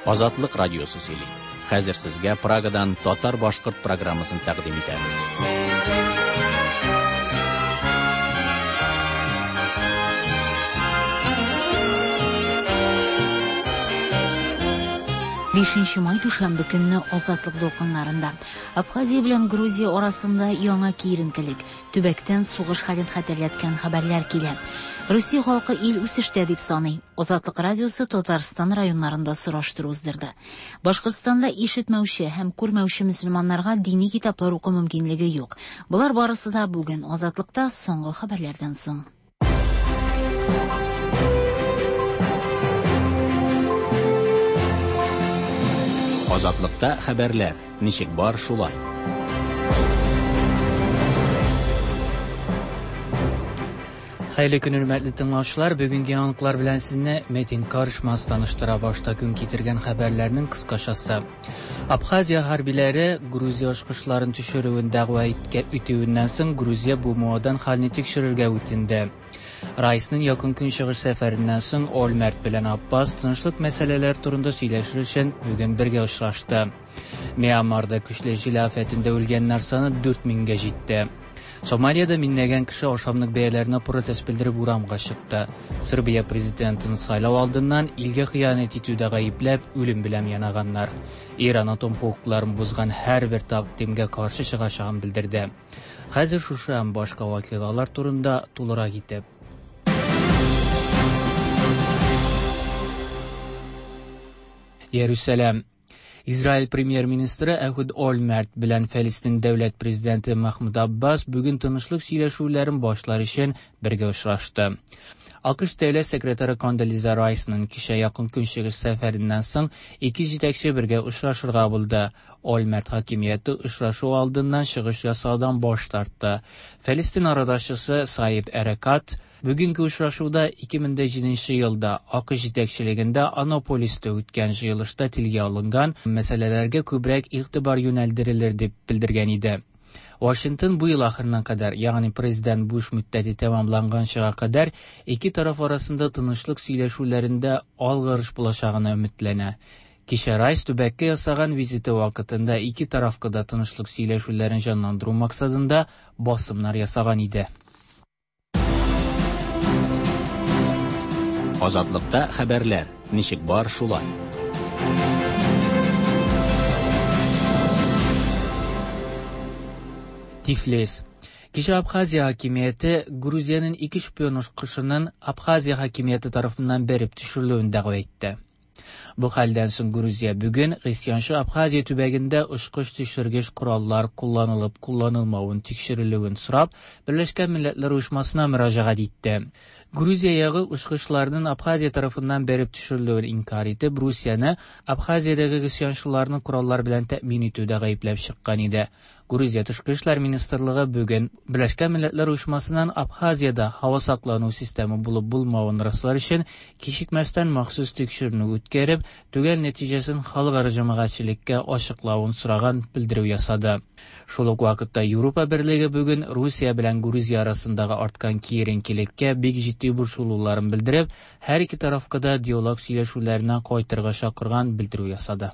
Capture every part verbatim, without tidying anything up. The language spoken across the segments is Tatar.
Азатлык радиосы сөйли. Хәзер сезгә Прагадан татар-башкорт программасын тәкъдим итәбез. Бишенче май дүшәмбе көнне Азатлык дулкыннарында Абхазия белән Грузия арасында яңа киеренкелек, төбәктән сугыш хәлен хәтерләткән хәбәрләр килә. Русия халкы ил үсештә дип саный. Азатлык радиосы Татарстан районнарында сораштыру уздырды. Башкортстанда ишетмәүче һәм күрмәүче мөселманнарга дини китаплар уку мөмкинлеге юк. Болар барысы да бүген Азатлыкта соңгы хәбәрләрдән соң. Азатлыкта хәбәрләр ничек бар шулай. Хәерле көн, хөрмәтле тыңлаучылар. Бүгенге яңалыклар белән сезне Метин Карышмаз таныштыра. Башта көн китергән хәбәрләрнең кыскачасы. Абхазия хәрбиләре Грузия очкычларын төшерүен дәгъва итүеннән соң Грузия бу муадан хәлне тикшерергә үтенде. Райсның якын көнчыгыш сәфәреннән соң Ольмерт белән Аббас тынычлык мәсьәләләре турында сөйләшер өчен бүген бергә очрашты. Мьянмарда көчле җил афәтендә үлгәннәр саны дүрт меңгә җитте. Сомалиядә меңләгән кеше ашамлык бәяләренә протест белдереп урамга чыкты. Сербия президентын сайлау алдыннан илгә хыянәт итүдә гаепләп үлем белән янаганнар. Иран атом хокукларын бозган һәрбер тәкъдимгә каршы чыгачагын белдерде. Хәзер шушы һәм башка вакыйгалар турында тулырак итеп. Иерусалим. Израиль премьер-министры Эхуд Ольмерт белән Фәлестин дәүләт президенты Махмуд Аббас бүген тынычлык сөйләшүләрен башлар өчен бергә очрашты. АКШ дәүләт секретаре Кондолиза Райсның кичә якын көнчыгыш сәфәреннән соң ике җитәкче бергә очрашырга булды. Ольмерт хакимияте очрашу алдыннан чыгыш ясаудан баш тартты. Фәлестин арадашчысы Саиб Эрекат бүгенге очрашуда ике мең дә җиденче елда АКШ җитәкчелегендә Анаполиста үткән җыелышта телгә алынган мәсьәләләргә күбрәк игътибар юнәлдерелер дип белдергән иде. Вашингтон бу ел ахырына кадәр, ягъни президент Буш мөддәте тәмамланганчыга кадәр ике тараф арасында тынычлык сөйләшүләрендә алгарыш булачагына өметләнә. Кичә Райс төбәккә ясаган визиты вакытында ике тарафка да тынычлык сөйләшүләрен җанландыру максатында басымнар ясаган иде. Азатлыкта хәбәрләр ничек бар шулай. Тифлис. Кичә Абхазия хакимияте Грузиянең ике шпион очкычының Абхазия хакимияте тарафыннан бәреп төшерелүен дәгъва итте. Бу хәлдән соң Грузия бүген гыйсьянчы Абхазия төбәгендә очкыч төшергеч кораллар кулланылып кулланылмавын тикшерелүен сорап, Берләшкән Милләтләр Оешмасына мөрәҗәгать итте. Грузия ягы очкычларның Абхазия тарафыннан бәреп төшерелүен инкар итеп, Русияне Абхазиядәге гыйсьянчыларны кораллар белән тәэмин итүдә гаепләп чыккан иде. Грузия Тышкы эшләр министрлыгы бүген Берләшкән Милләтләр Оешмасыннан Абхазиядә һава саклану системы булып булмавын раслар өчен кичекмәстән махсус тикшеренү үткәреп, төгәл нәтиҗәсен халыкара җәмәгатьчелеккә ачыклавын сораган белдерү ясады. Шул ук вакытта Европа Берлеге бүген Русия белән Грузия арасындагы арткан киеренкелеккә бик җитди борчылуларын белдереп, һәр ике тарафка да диалог сөйләшүләренә кайтырга чакырган белдерү ясады.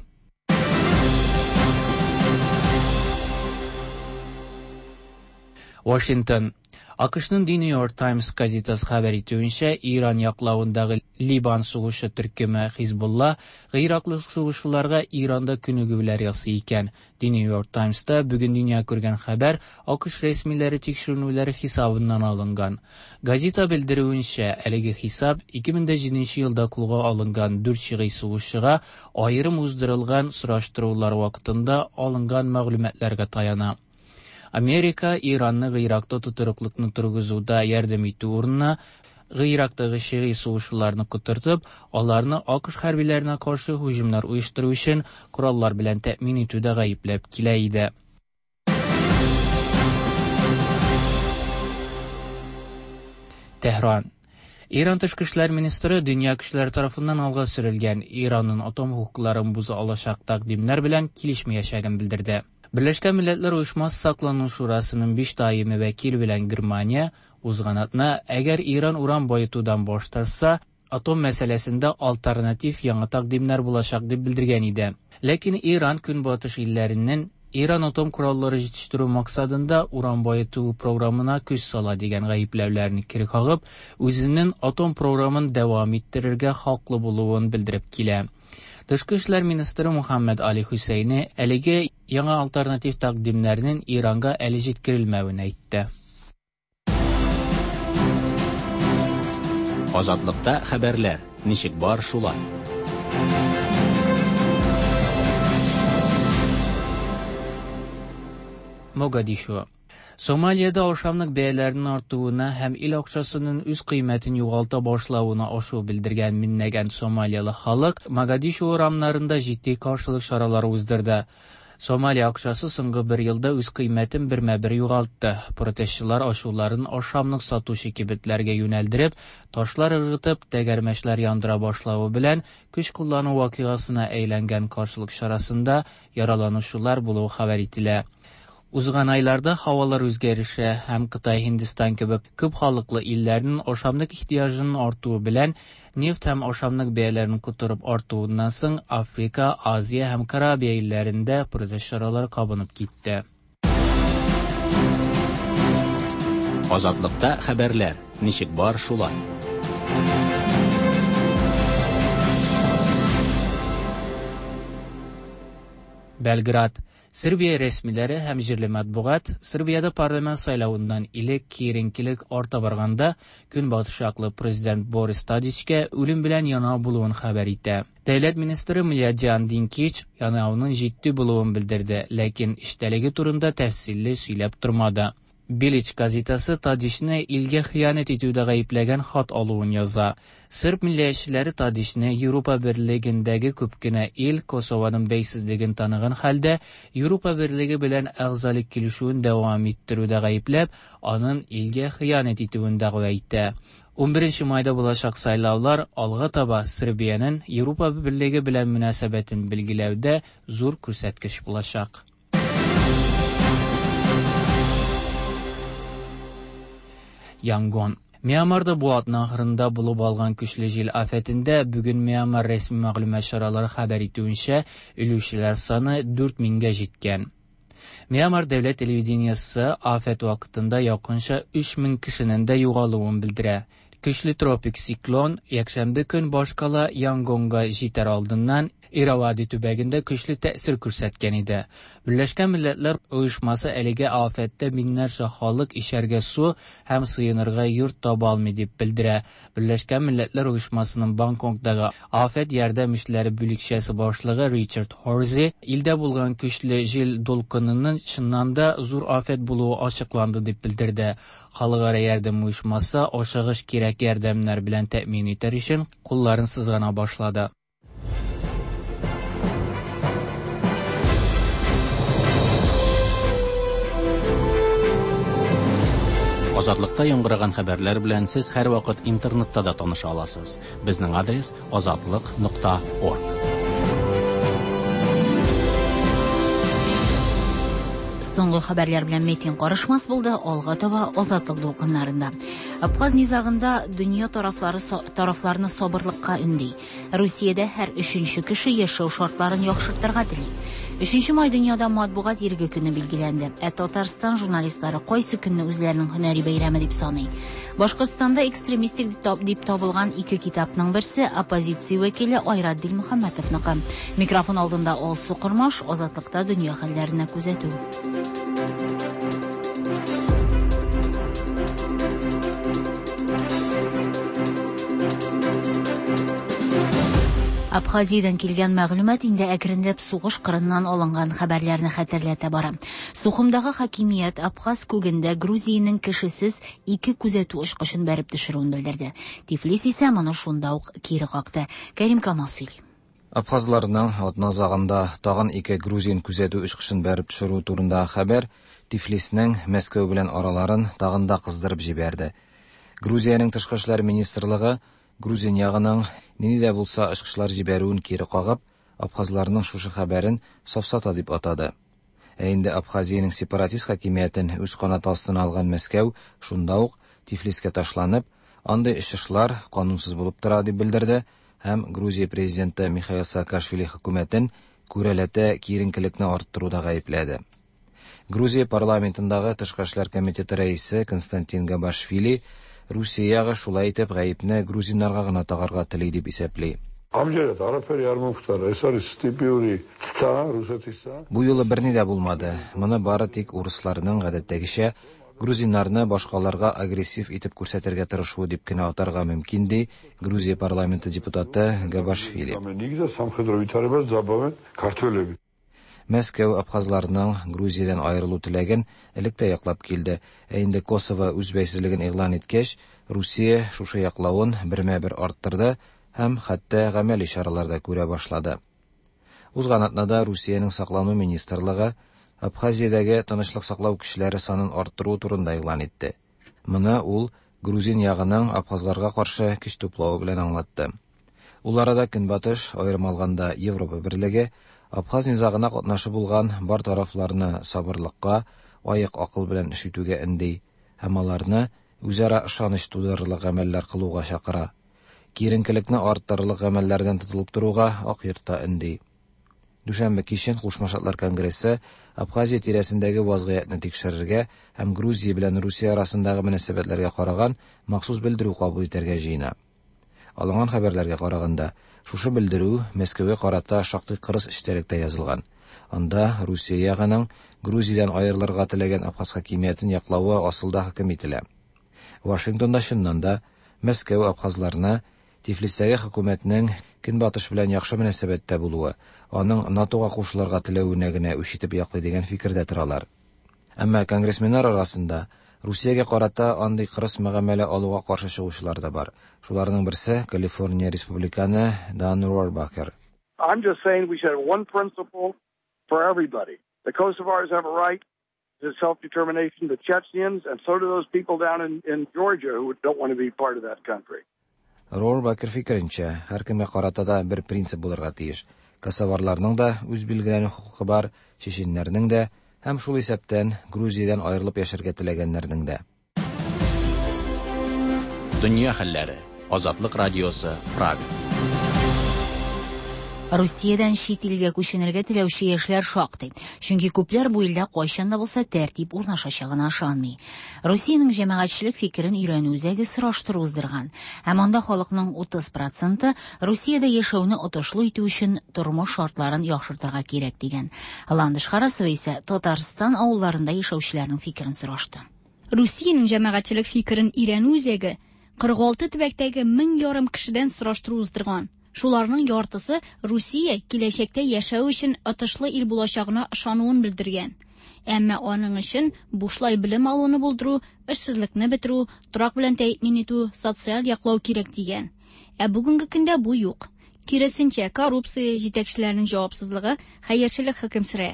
Вашингтон. АКШның The New York Times газетасы хәбәр итүенчә, Иран яклавындагы Либан сугышы төркеме Хизбулла гыйраклы сугышчыларга Иранда күнегүләр ясый икән. The New York Times'та бүген дөнья күргән хәбәр АКШ рәсмиләре тикшеренүләре хисабыннан алынган. Газета белдерүенчә, әлеге хисап ике мең дә җиденче елда кулга алынган дүрт шигый сугышчыга аерым уздырылган сораштырулар вакытында алынган мәгълүматларга таяна. Америка Иранны Гыйракта тотрыклыкны торгызуда ярдәм итү урынына Гыйрактагы шигый сугышчыларны котыртып, аларны АКШ хәрбиләренә каршы һөҗүмнәр оештыру өчен кораллар белән тәэмин итүдә гаепләп килә иде. Тәһран. Иран тышкы эшләр министры дөнья көчләре тарафыннан алга сөрелгән Иранның атом хокукларын боза алачак тәкъдимнәр белән килешмәячәген белдерде. Берләшкән Милләтләр Оешмасы Саклану Шурасының биш даими вәкиле белән Германия узган атна, әгәр Иран уран баетудан баш тартса, Атом мәсьәләсендә альтернатив яңа тәкъдимнәр булачак дип белдергән иде. Ләкин Иран көнбатыш илләреннән Иран атом кораллары җитештерү максатында уран баету програмына көч сала дигән гаепләүләрне кире кагып, үзенең атом програмын дәвам иттерергә хаклы булуын белдереп килә. Тышкы эшләр министры Мухаммад Али Хусейни әлеге яңа альтернатив тәкъдимнәрнең Иранга әле җиткерелмәвен әйтте. Азатлыкта хәбәрләр ничек бар шулай. Могадишо. Сомалиядә ашамлык бәяләренең артуына һәм ил акчасының үз кыйммәтен югалта башлавына ашу белдергән меңләгән сомалияле халык Могадишо урамнарында җитди каршылык чаралары уздырды. Сомалия акчасы соңгы бер елда үз кыйммәтен бермә-бер югалтты. Протестчылар ашуларын ашамлык сатучы кибетләргә юнәлдереп, ташлар ыргытып, тәгәрмәчләр яндыра башлавы белән көч куллану вакыйгасына әйләнгән каршылык чарасында яраланучылар булуы хәбәр ителә. Узган айларда һавалар үзгәреше һәм Кытай, Һиндстан кебек күп халыклы илләрнең ашамлык ихтыяҗының артуы белән нефть һәм ашамлык бәяләренең котырып артуыннан соң Африка, Азия һәм Карабия илләрендә протест чаралары кабынып китте. Азатлыкта хәбәрләр ничек бар шулай. Белград. Сербия рәсмиләре һәм җирле матбугат Сербиядә парламент сайлавыннан элек киеренкелек арта барганда көнбатыш яклы президент Борис Тадичкә үлем белән янау булуын хәбәр итә. Дәүләт министры Младян Динкич янауның җитди булуын белдерде, ләкин эчтәлеге турында тәфсилле сөйләп тормады. Билич газетасы Тадичны илгә хыянәт итүдә гаепләгән хат алуын яза. Серб милләтчеләре Тадичны Европа Берлегендәге күп кенә ил Косованың бәйсезлеген таныган хәлдә Европа Берлеге белән әгъзалык килешүен дәвам иттерүдә гаепләп, аның илгә хыянәт итүен дәгъва итә. ун беренче майда булачак сайлаулар алга таба Сербиянең Европа Берлеге белән мөнәсәбәтен билгеләүдә зур күрсәткеч булачак. Янгон. Мьянмарда бу атна ахырында булып алган көчле җил афәтендә бүген Мьянмар рәсми мәгълүмат чаралары хәбәр итүенчә, үлүчеләр саны дүрт меңгә җиткән. Мьянмар дәүләт телевидениесе афәт вакытында якынча өч мең кешенең дә югалуын белдерә. Көчле тропик циклон якшәмбе көн башкала Янгонга җитәр алдыннан Иравади төбәгендә көчле тәэсир күрсәткән иде. Берләшкән Милләтләр Оешмасы әлеге афәттә меңнәрчә халык ишәргә су һәм сыенырга йорт таба алмый дип белдерә. Берләшкән Милләтләр Оешмасының Бангкоктагы афәт ярдәм эшләре бүлекчәсе башлыгы Ричард Хорзи илдә булган көчле җил дулкынының чыннан да зур афәт булуы ачыкланды дип белдерде. Халыкара ярдәм оешмасы ашыгыч кирәк ярдәмнәр белән тәэмин итәр өчен кулларын сызгана башлады. Азатлыкта яңгыраган хәбәрләр белән сез һәрвакыт интернетта да таныша аласыз. Безнең адрес азатлык нокта орг. Соңгы хәбәрләр белән Метин карышмас булды, алга таба Азатлык дулкыннарында. Абхаз низагында дөнья тарафлары тарафларны сабырлыкка өнди. Русиядә һәр өченче кеше яшәү шартларын яхшыртырга тели. Өченче май дөньяда матбугат иреге көне билгеләнде. Ә Татарстан журналистлары кайсы көнне үзләренең һөнәри бәйрәме дип саный? Башкортстанда экстремистик дип табылган ике китапның берсе оппозиция вәкиле Айрат Дилмөхәммәтовныкы. Микрофон алдында Алсу Кормаш, Азатлыкта дөнья хәлләренә күзәтү. Абхазиядан килгән мәгълүмат инде әкренләп сугыш кырыннан алынган хәбәрләрне хәтерләтә бара. Сухумдагы хакимият Абхаз күгендә Грузиянең кешесез ике күзәтү очкычын бәреп төшерүен белдерде. Тифлис исә моны шунда ук кире какты. Кәрим Камал сөйли. Абхазларның атна азагында тагын ике грузин күзәтү очкычын бәреп төшерү турындагы хәбәр Тифлиснең Мәскәү белән араларын тагын да кыздырып җибәрде. Грузиянең тышкы эшләр министрлыгы Грузин ягының нинди дә булса очкычлар җибәрүен кире кагып, абхазларның шушы хәбәрен сафсата дип атады. Ә инде Абхазиянең сепаратист хакимиятен үз канаты астына алган Мәскәү шунда ук Тифлискә ташланып, андый очышлар канунсыз булып тора дип белдерде һәм Грузия президенты Михаил Саакашвили хөкүмәтен күрәләтә киеренкелекне арттыруда гаепләде. Грузия парламентындагы тышкы эшләр комитеты рәисе Константин Габашвили Русия ягы шулай итеп гаепне грузиннарга гына тагарга тели дип исәпли. Амжерад არაფერი არ მომხდარა. ეს არის ტიპიური ცდა რუსეთისა. Бу юлы берни дә булмады. Моны бары тик урысларның гадәттәгечә грузиннарны башкаларга агрессив итеп күрсәтергә тырышуы дип кенә атарга мөмкин, ди Грузия парламенты депутаты Габашвили. და სამხედრო ვითარებას ძაბავენ ქართველები. Мәскәү абхазларның Грузиядән аерылу теләген элек тә яклап килде. Ә инде Косово үз бәйсезлеген игълан иткәч, Русия шушы яклавын бермә-бер арттырды һәм хәтта гамәли чаралар да күрә башлады. Узган атнада Русиянең саклану министрлыгы Абхазиядәге тынычлык саклау көчләре санын арттыру турында игълан итте. Моны ул грузин ягының абхазларга каршы көч туплавы белән аңлатты. Ул арада Көнбатыш, аерым алганда Европа берлеге, абхаз низагына катнашы булган бар тарафларны сабырлыкка, аек акыл белән эш итүгә өнди һәм аларны үзара ышаныч тудырырлык гамәлләр кылуга чакыра. Киеренкелекне арттырырлык гамәлләрдән тотылып торуга Ак йортта өнди. Дүшәмбе кичен Кушма Штатлар Конгрессы Абхазия тирәсендәге вазгыятьне тикшерергә һәм Грузия белән Русия арасындагы мөнәсәбәтләргә караган махсус белдерү кабул итәргә җыена. Алынган хәбәрләргә караганда, шушы белдерү Мәскәүгә карата шактый кырыс эчтәлектә язылган. Анда Русия ягының Грузиядән аерылырга теләгән абхаз хакимиятен яклавы асылда хөкем ителә. Вашингтонда чыннан да Мәскәү абхазларны Тифлистәге хөкүмәтнең Көнбатыш белән яхшы мөнәсәбәттә булуы, аның НАТОга кушылырга теләвенә генә үч итеп яклый дигән фикердә торалар. Әмма конгрессменнар арасында Русиягә карата андый кырыс мөгамәлә алуга каршы чыгучылар да бар. Шуларның берсе Калифорния республиканы Дан Рорбакер. I'm just saying we should have one principle for everybody. The Kosovars have a right to self-determination, the Chechens, and so do those people down in, in Georgia who don't want to be part of that country. Рорбакер фикеренчә, һәркемгә карата да бер принцип булырга тиеш. Косоварларның да үз билгеләнү хокукы бар, чеченнәрнең дә һәм шул исәптән Грузиядән аерылып яшәргә теләгәннәрнең дә. Дөнья хәлләре. Азатлык радиосы, Прага. Русиядән чит илгә күченергә теләүче яшьләр шактый. Чөнки күпләр бу илдә кайчан да булса тәртип урнашачагына ышанмый. Русиянең җәмәгатьчелек фикерен өйрәнү үзәге сораштыру уздырган. Һәм анда халыкның утыз проценты Русиядә яшәүне отышлы итү өчен тормыш шартларын яхшыртырга кирәк дигән. Ландыш Харасова исә Татарстан авылларында яшәүчеләрнең фикерен сорашты. Русиянең җәмәгатьчелек фикерен өйрәнү үзәге кырык алты төбәктәге мең ярым кешедән сораштыру уздырган. Шуларның яртысы Русия киләчәктә яшәү өчен отышлы ил булачагына ышануын белдергән. Әмма аның өчен бушлай белем алуны булдыру, эшсезлекне бетерү, торак белән тәэмин итү, социаль яклау кирәк дигән. Ә бүгенге көндә бу юк. Киресенчә, коррупция, җитәкчеләрнең җавапсызлыгы, хәерчелек хөкем сөрә.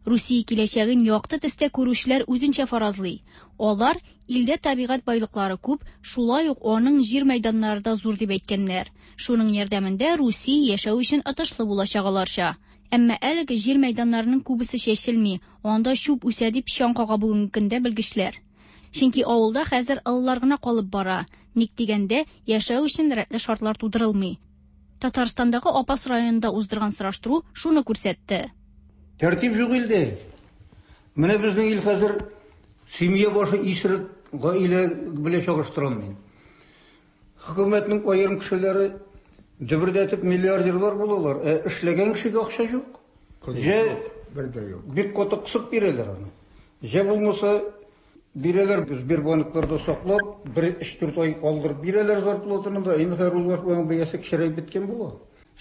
Русия киләчәген якты төстә күрүчеләр үзенчә фаразлый. Алар илдә табигать байлыклары күп, шулай ук аның җир мәйданнары да зур дип әйткәннәр. Шуның ярдәмендә Русия яшәү өчен отышлы булачак аларча. Әмма әлеге җир мәйданнарының күбесе чәчелми, анда чүп үсә дип чаң кага бүгенге көндә белгечләр. Чөнки авылда хәзер олылар гына калып бара. Ник дигәндә, яшәү өчен рәтле шартлар тудырылмый. Татарстандагы Апас районында уздырган сораштыру шуны күрсәтте. Тәртип юк илдә. Менә безнең ил хәзер семья башы исерек гаилә белән чагыштырам мин. Хөкүмәтнең аерым кешеләре дөбердәтеп миллиардерлар булалар. Ә эшләгән кешегә акча юк. Җә бер дә юк. Бик каты кысып бирәләр аны. Җә булмаса бирәләр, Сбербанкларда саклап, бер өч-дүрт ай калдырып бирәләр зарплатаны да, инде хәзер ул вакытта бәясе кечерәеп беткән була.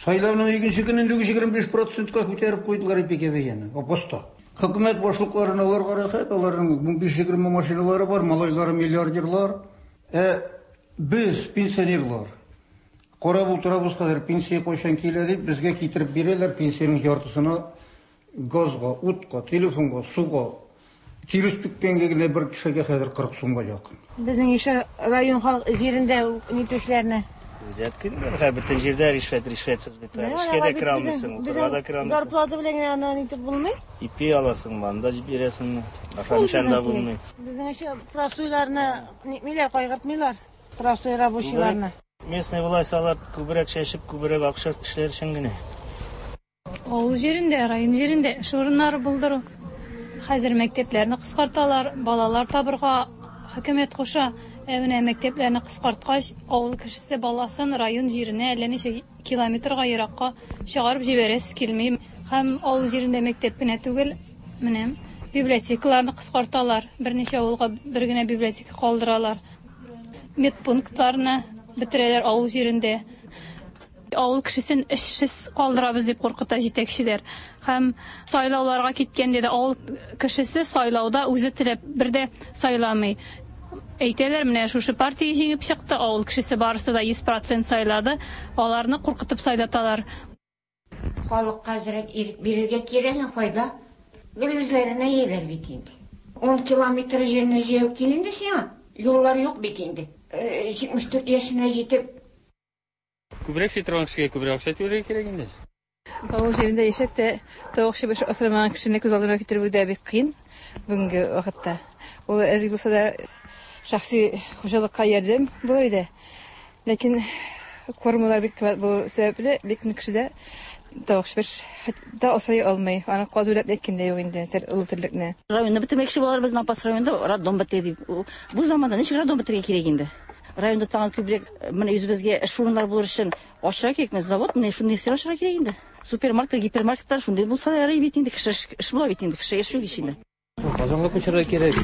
Сайлауның икенче көнендә егерме биш процентка күтәреп куйдылар ипигә бәяне. Апаста. Хөкүмәт башлыкларына аларга рәхәт, аларның унбиш-егерме машиналары бар, малайлары миллиардерлар. Ә без пенсионерлар. Карап утырабыз хәзер пенсия кайчан килә дип, безгә китереп бирәләр пенсиянең яртысына газга, утка, телефонга, суга. Тирес түккәнгә генә бер кешегә хәзер кырык сумга якын. Безнең ише район халык җирендә нитүчеләрне Взятка инде, бөтен җирдә ришвәт, ришвәтсез бит. Эшкә дә керә алмыйсың, укырга да керә алмыйсың. Зарплата белән генә аны итеп булмый. Ипи аласың, анда бирәсең, ашамышан да булмый. Безнең эше простойларны нитмиләр, кайгыртмыйлар. Простой рабочийларны. Местный власть алар күбрәк чәчеп, күбрәк акча эшләр өчен генә. Авыл җирендә, район җирендә эш урыннары булдыру. Хәзер мәктәпләрне кыскарталар, балалар табырга хөкүмәт куша. Ә менә мәктәпләрне кыскарткач, авыл кешесе баласын район җиренә әллә ничә километрга еракка чыгарып җибәрәсе килми. Һәм авыл җирендә мәктәп кенә түгел, менә библиотекаларны кыскарталар. Берничә авылга бер генә библиотека калдыралар. Медпунктларны бетерәләр авыл җирендә. Авыл кешесен эшсез калдырабыз дип куркыта җитәкчеләр. Һәм сайлауларга киткәндә дә авыл кешесе сайлауда үзе теләп бер дә сайламый. Әйтәләр, менә шушы партия җиңеп чыкты, авыл кешесе барысы да йөз процент сайлады, аларны куркытып сайлаталар. Халыкка әзрәк ирек бирергә кирәк, файда. Гел үзләренә ияләр бит инде. Ун километр җирне җәяү кил инде сиңа. Юллар юк бит инде. җитмеш дүрт яшенә җитеп. Күбрәк эшли торган кешегә күбрәк акча түләргә кирәк инде. Авыл җирендә яшәп тә тавык чебеш асрамаган кешене күз алдына китерү дә бик кыен бүгенге вакытта. Ул әз булса да шәхси хуҗалыкка ярдәм булыр иде. Ләкин кормалар бик кыйммәт булу сәбәпле, бик күп кешедә тавык чебеш да асрый алмый. Аны каз үләп әйткәндә юк инде, олы терлекне. Районны бетермәкче булалар, безнең Апас районында роддом бетте дип. Бу заманда ничек роддом бетерергә кирәк инде? Районда тагын күбрәк менә үзебезгә эш урыннары булыр өчен ашырга кирәк, менә завод, менә шундый нәрсә ашырга кирәк инде. Супермаркет, гипермаркетлар шундый булса ярый бит инде, кеше эш була бит инде, кеше яши бит инде. Казанга күчәргә кирәк.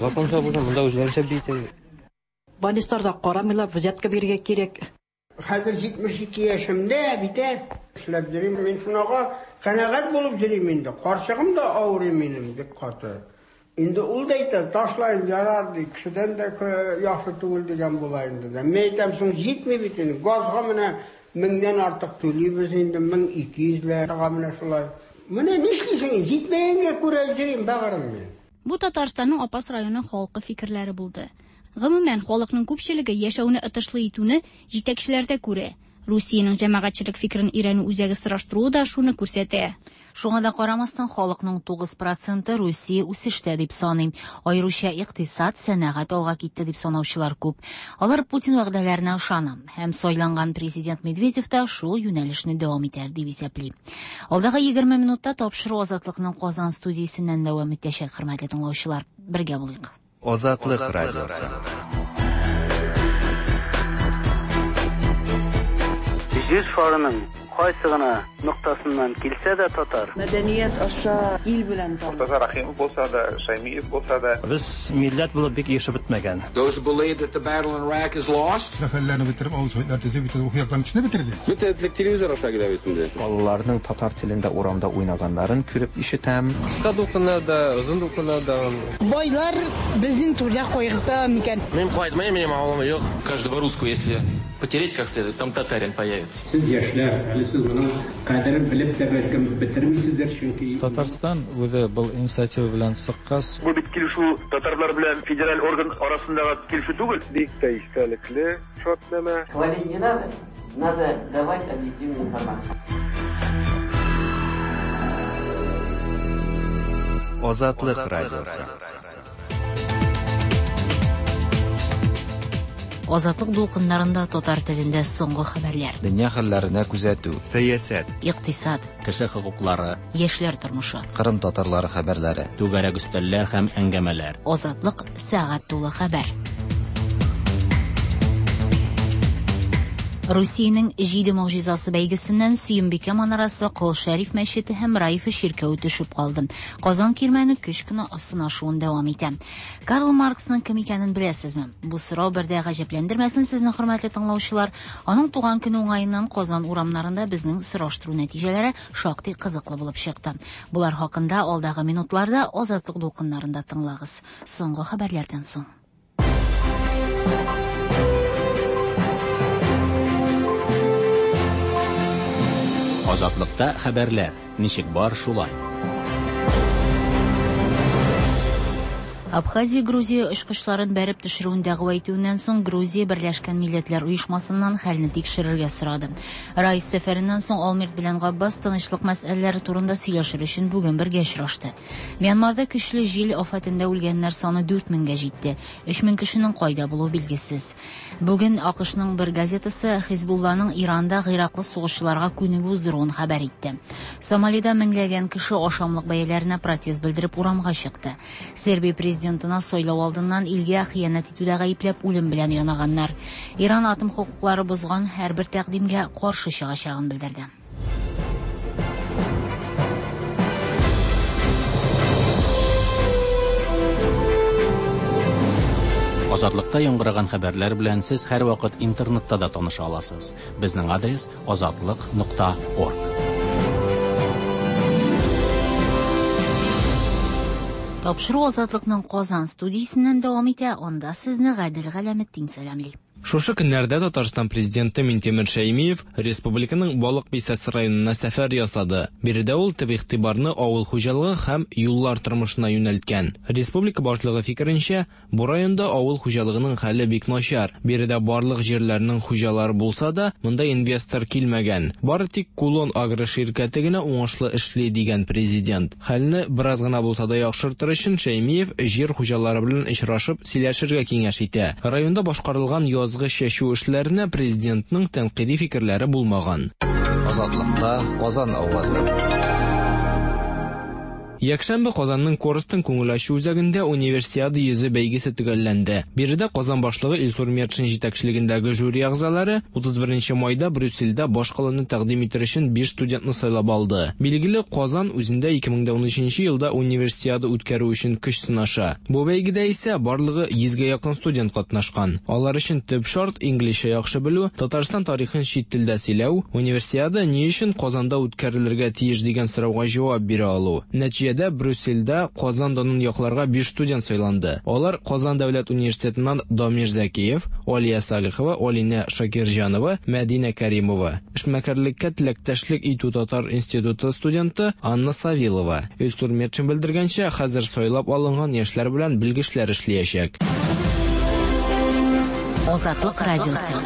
Законча булса, монда үзләренчә бит. Больницаларда карамыйлар, взятка бирергә кирәк. Хәзер җитмеш ике яшемдә бит, эшләп йөрим. Мин шунага канәгать булып йөрим инде. Карчыгым да авырый минем бик каты. Инде ул да әйтә, ташлайын, ярар ди, кешедән дә яхшы түгел дигән була инде. Мин әйтәм, соң җитми бит инде. Газга менә меңнән артык түлибез инде, мең ике йөзләр менә шулай. Менә нишлисең, җитмәгәнгә күрә йөрим, бәгырем мин. Бу Татарстанның Апас районы халкы фикерләре булды. Гомумән, халыкның күпчелеге яшәүне отышлы итүне җитәкчеләрдә күрә. Русиянең җәмәгатьчелек фикерен өйрәнү үзәге сораштыруы да шуны күрсәтә. Шуңа да карамастан, халыкның тугыз проценты Русия үсештә дип саный. Аеруча икътисад, сәнәгать алга китте дип санаучылар күп. Алар Путин вәгъдәләренә ышана һәм сайланган президент Медведев та шул юнәлешне дәвам итәр дип исәпли. Алдагы егерме минутта тапшыру Азатлыкның Казан студиясеннән дәвам итәчәк, хөрмәтле тыңлаучылар. Бергә булыйк. Азатлык радиосы. Җир шарының кайсы гына ноктасыннан килсә дә татар. Мәдәният аша ил белән таныш. Мортаза Рахимов булса да, Шаймиев булса да. Без милләт булып бик яшәп бетмәгән. Those who believe that the battle in Iraq is lost. Зафәрләрне бетереп, авыл советлар төзеп, бөтен рухи яктан кешене бетерде. Бөтен телевизор аша килә бит инде. Балаларның татар телендә урамда уйнаганнарын күреп ишетәм. Кыска дулкыннарда, озын дулкыннарда. Байлар безнең түрдә кайгырта микән? Мин кайтмыйм, минем авылым юк. Каждого русского, если потереть как следует, там татарин появится. Сез яшьләр, әле сез моның кадерен белеп тә бәлкем бетермисездер, чөнки Татарстан үзе был инициатива белән чыккач. Бу бит килешү татарлар белән федераль орган арасындагы килешү түгел. Бик тә истәлекле шартнамә. Хвалить не надо, надо давать объективную информацию. Азатлык радиосы. Азатлык дулкыннарында татар телендә соңгы хәбәрләр. Дөнья хәлләренә күзәтү, сәясәт, икътисад, кеше хокуклары, яшьләр тормышы, Кырым татарлары хәбәрләре, түгәрәк өстәлләр һәм әңгәмәләр. Азатлык сәгать тулы хәбәр. Русиянең җиде могҗизасы бәйгесеннән Сөембикә манарасы, Кол Шәриф мәчете һәм Раифа чиркәве төшеп калды. Казан кирмәне көч кенә сынашуын дәвам итә. Карл Марксның кем икәнен беләсезме? Бу сорау бер дә гаҗәпләндермәсен сезне, хөрмәтле тыңлаучылар. Аның туган көне уңаеннан Казан урамнарында безнең сораштыру нәтиҗәләре шактый кызыклы булып чыкты. Булар хакында алдагы минутларда Азатлык дулкыннарында тыңлагыз. Соңгы хәбәрләрдән соң. Азатлыкта хәбәрләр ничек бар шулай. Абхазия Грузия очкычларын бәреп төшерүен дәгъва итүеннән соң Грузия Берләшкән Милләтләр Оешмасыннан хәлне тикшерергә сорады. Райс сәфәреннән соң Олмерт белән Габбас тынычлык мәсьәләләре турында сөйләшер өчен бүген бергә очрашты. Мьянмарда көчле җил афәтендә үлгәннәр саны дүрт меңгә җитте. Өч мең кешенең кайда булуы билгесез. Бүген АКШның бер газетасы Хизбулланың Иранда гыйраклы сугышчыларга күнегү уздыруын хәбәр итте. Сомалида меңләгән кеше ашамлык бәяләренә протест белдереп урамга чыкты. Сербия президентына сайлау алдыннан илгә хыянәт итүдә гаепләп үлем белән янаганнар. Иран атом хокуклары бозган һәрбер тәкъдимгә каршы чыгачагын белдерде. Азатлыкта яңгыраган хәбәрләр белән сез һәрвакыт интернетта да таныша аласыз. Безнең адрес азатлык нокта орг. Тапшыру Азатлыкның Казан студиясеннән дәвам итә. Анда сезне Гадел Галәметдин сәламли. Шушы көннәрдә Татарстан президенты Минтимер Шәймиев республиканың Балык Бистәсе районына сәфәр ясады. Биредә ул төп игътибарны авыл хуҗалыгы һәм юллар тормышына юнәлткән. Республика башлыгы фикеренчә, бу районда авыл хуҗалыгының хәле бик начар. Биредә барлык җирләрнең хуҗалары булса да, монда инвестор килмәгән. Бары тик Кулон агро ширкәте генә уңышлы эшли дигән президент. Хәлне бераз гына булса да яхшыртыр өчен Шәймиев җир хуҗалары белән очрашып сөйләшергә киңәш итә. Районда башкарылган яз чәчү эшләренә президентның тәнкыйди фикерләре булмаган. Азатлыкта Казан авазы. Якшәмбе Казанның Корстон күңел ачу үзәгендә Универсиада йөзе бәйгесе төгәлләнде. Биредә Казан башлыгы Илсур Метшин җитәкчелегендәге жюри әгъзалары утыз беренче майда Брюссельдә башкаланы тәкъдим итер өчен биш студентны сайлап алды. Билгеле, Казан үзендә ике мең дә унөченче елда Универсиада үткәрү өчен көч сынаша. Бу бәйгедә исә барлыгы йөзгә якын студент катнашкан. Алар өчен төп шарт инглизчә яхшы белү, Татарстан тарихын чит телдә сөйләү, Универсиада ни өчен Казанда үткәрелергә тиеш дигән сорауга җавап бирә алу. Нәтиҗәдә Брюссельдә Казан данын якларга биш студент сайланды. Алар Казан дәүләт университетыннан Дамир Зәкиев, Алия Салихова, Алинә Шакирҗанова, Мәдинә Каримова. Эшмәкәрлеккә теләктәшлек итү татар институты студенты Анна Савилова. Илсур Метшин белдергәнчә, хәзер сайлап алынган яшьләр белән белгечләр эшләячәк. Азатлык радиосы.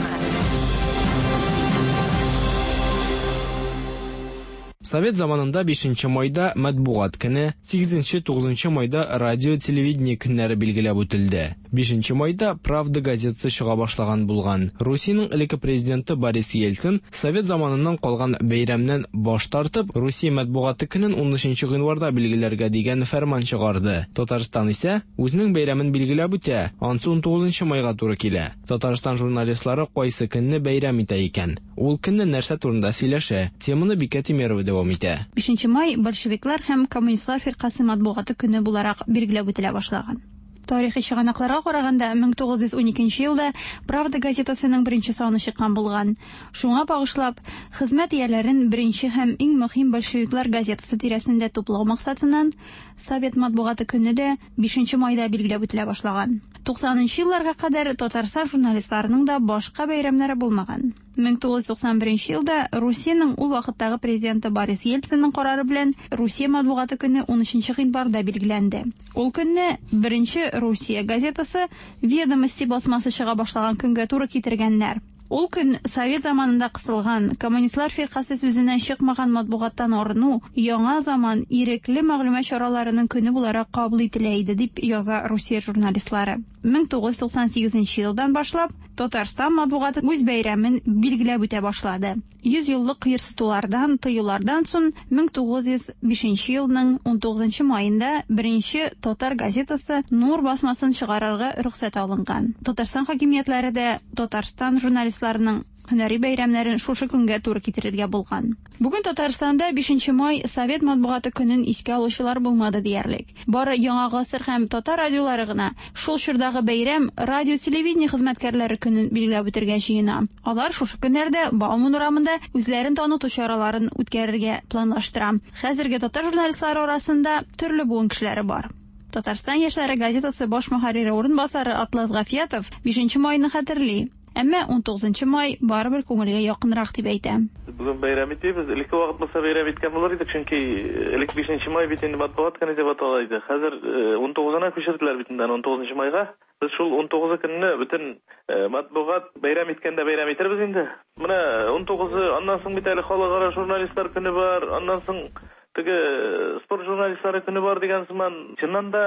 Совет заманында бишенче майда матбугат көне, сигезенче-тугызынчы майда радио телевидение көннәре билгеләп үтелде. Бишенче майда Правда газетасы чыга башлаган булган. Русиянең элекке президенты Борис Ельцин Совет заманыннан калган бәйрәмнән баш тартып, Русия матбугаты көнен унөченче гыйнварда билгеләргә дигән фәрман чыгарды. Татарстан исә үзенең бәйрәмен билгеләп үтә, ансы унтугызынчы майга туры килә. Татарстан журналистлары кайсы көнне бәйрәм итә икән? Ул көнне нәрсә турында сөйләшә? Теманы Бикә Тимерова дәвам итә. Бишенче май большевиклар һәм коммунистлар фиркасе матбугаты көне буларак билгеләп үтелә башлаган. Тарихи чыганакларга караганда мең тугыз йөз уникенче елда Правда газетасының беренче саны чыккан булган. Шуңа багышлап, хезмәт ияләрен беренче һәм иң мөһим большевиклар газетасы тирәсендә туплау максатыннан Совет матбугаты көне дә бишенче майда билгеләп үтелә башлаган. Туксанынчы елларга кадәр Татарстан журналистларының да башка бәйрәмнәре булмаган. мең тугыз йөз туксан беренче елда Русиянең ул вакыттагы президенты Борис Ельцинның карары белән Русия матбугаты көне унөченче гыйнварда билгеләнде. Ул көнне беренче Русия газетасы Ведомости басмасы чыга башлаган көнгә туры китергәннәр. Ул көн Совет заманында кысылган, коммунистлар фиркасе сүзеннән чыкмаган матбугаттан арыну, яңа заман ирекле мәгълүмат чараларының көне буларак кабул ителә иде, дип яза Русия журналистлары. мең тугыз йөз туксан сигезенче елдан башлап Татарстан матбугаты үз бәйрәмен билгеләп үтә башлады. Йөз еллык кыерсытулардан, тыюлардан соң мең тугыз йөз бишенче елның унтугызынчы маенда беренче татар газетасы Нур басмасын чыгарырга рөхсәт алынган. Татарстан хакимиятләре дә Татарстан журналистларының һөнәри бәйрәмнәрен шушы көнгә туры китерергә булган. Бүген Татарстанда бишенче май Совет матбугаты көнен искә алучылар булмады диярлек. Бары Яңа гасыр һәм татар радиолары гына шул чордагы бәйрәм радио телевидение хезмәткәрләре көнен билгеләп үтергә җыена. Алар шушы көннәрдә Бауман урамында үзләрен таныту чараларын үткәрергә планлаштыра. Хәзерге татар журналистлары арасында төрле буын кешеләре бар. Татарстан яшьләре газетасы баш мөхәррире урынбасары Атлас Гафиятов бишенче майны хәтерли. Әмма унтугызынчы май барыбер күңелгә якынрак дип әйтә. Бүген бәйрәм итәбез. Элекке вакыт булса бәйрәм иткән булыр идек, чөнки элек бишенче май бит инде матбугат көне дип атала иде. Хәзер унтугызына күчерделәр бит инде унтугызынчы майга. Без шул унтугызы көнне бөтен матбугат бәйрәм иткәндә бәйрәм итербез инде. Менә унтугызы, аннан соң бит әле халыкара журналистлар көне бар, аннан соң теге спорт журналистлары көне бар дигән сыман. Чыннан да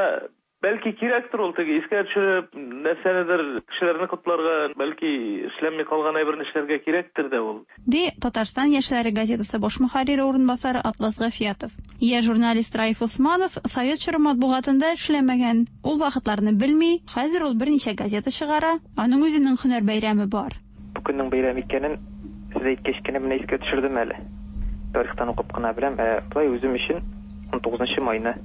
бәлки кирәктер ул теге искә төшереп, нәрсәнедер кешеләрне котларга, бәлки эшләнми калган әйберне эшләргә кирәктер дә ул. Ди Татарстан яшьләре газетасы баш мөхәррире урынбасары Атлас Гафиятов. Яшь журналист Раиф Усманов совет чоры матбугатында эшләмәгән. Ул вакытларны белми, хәзер ул берничә газета чыгара, аның үзенең һөнәр бәйрәме бар. Бу көннең бәйрәм икәнен сез әйткәч кенә менә искә төшердем әле. Тарихтан укып кына беләм, ә болай үзем өчен унтугызынчы майны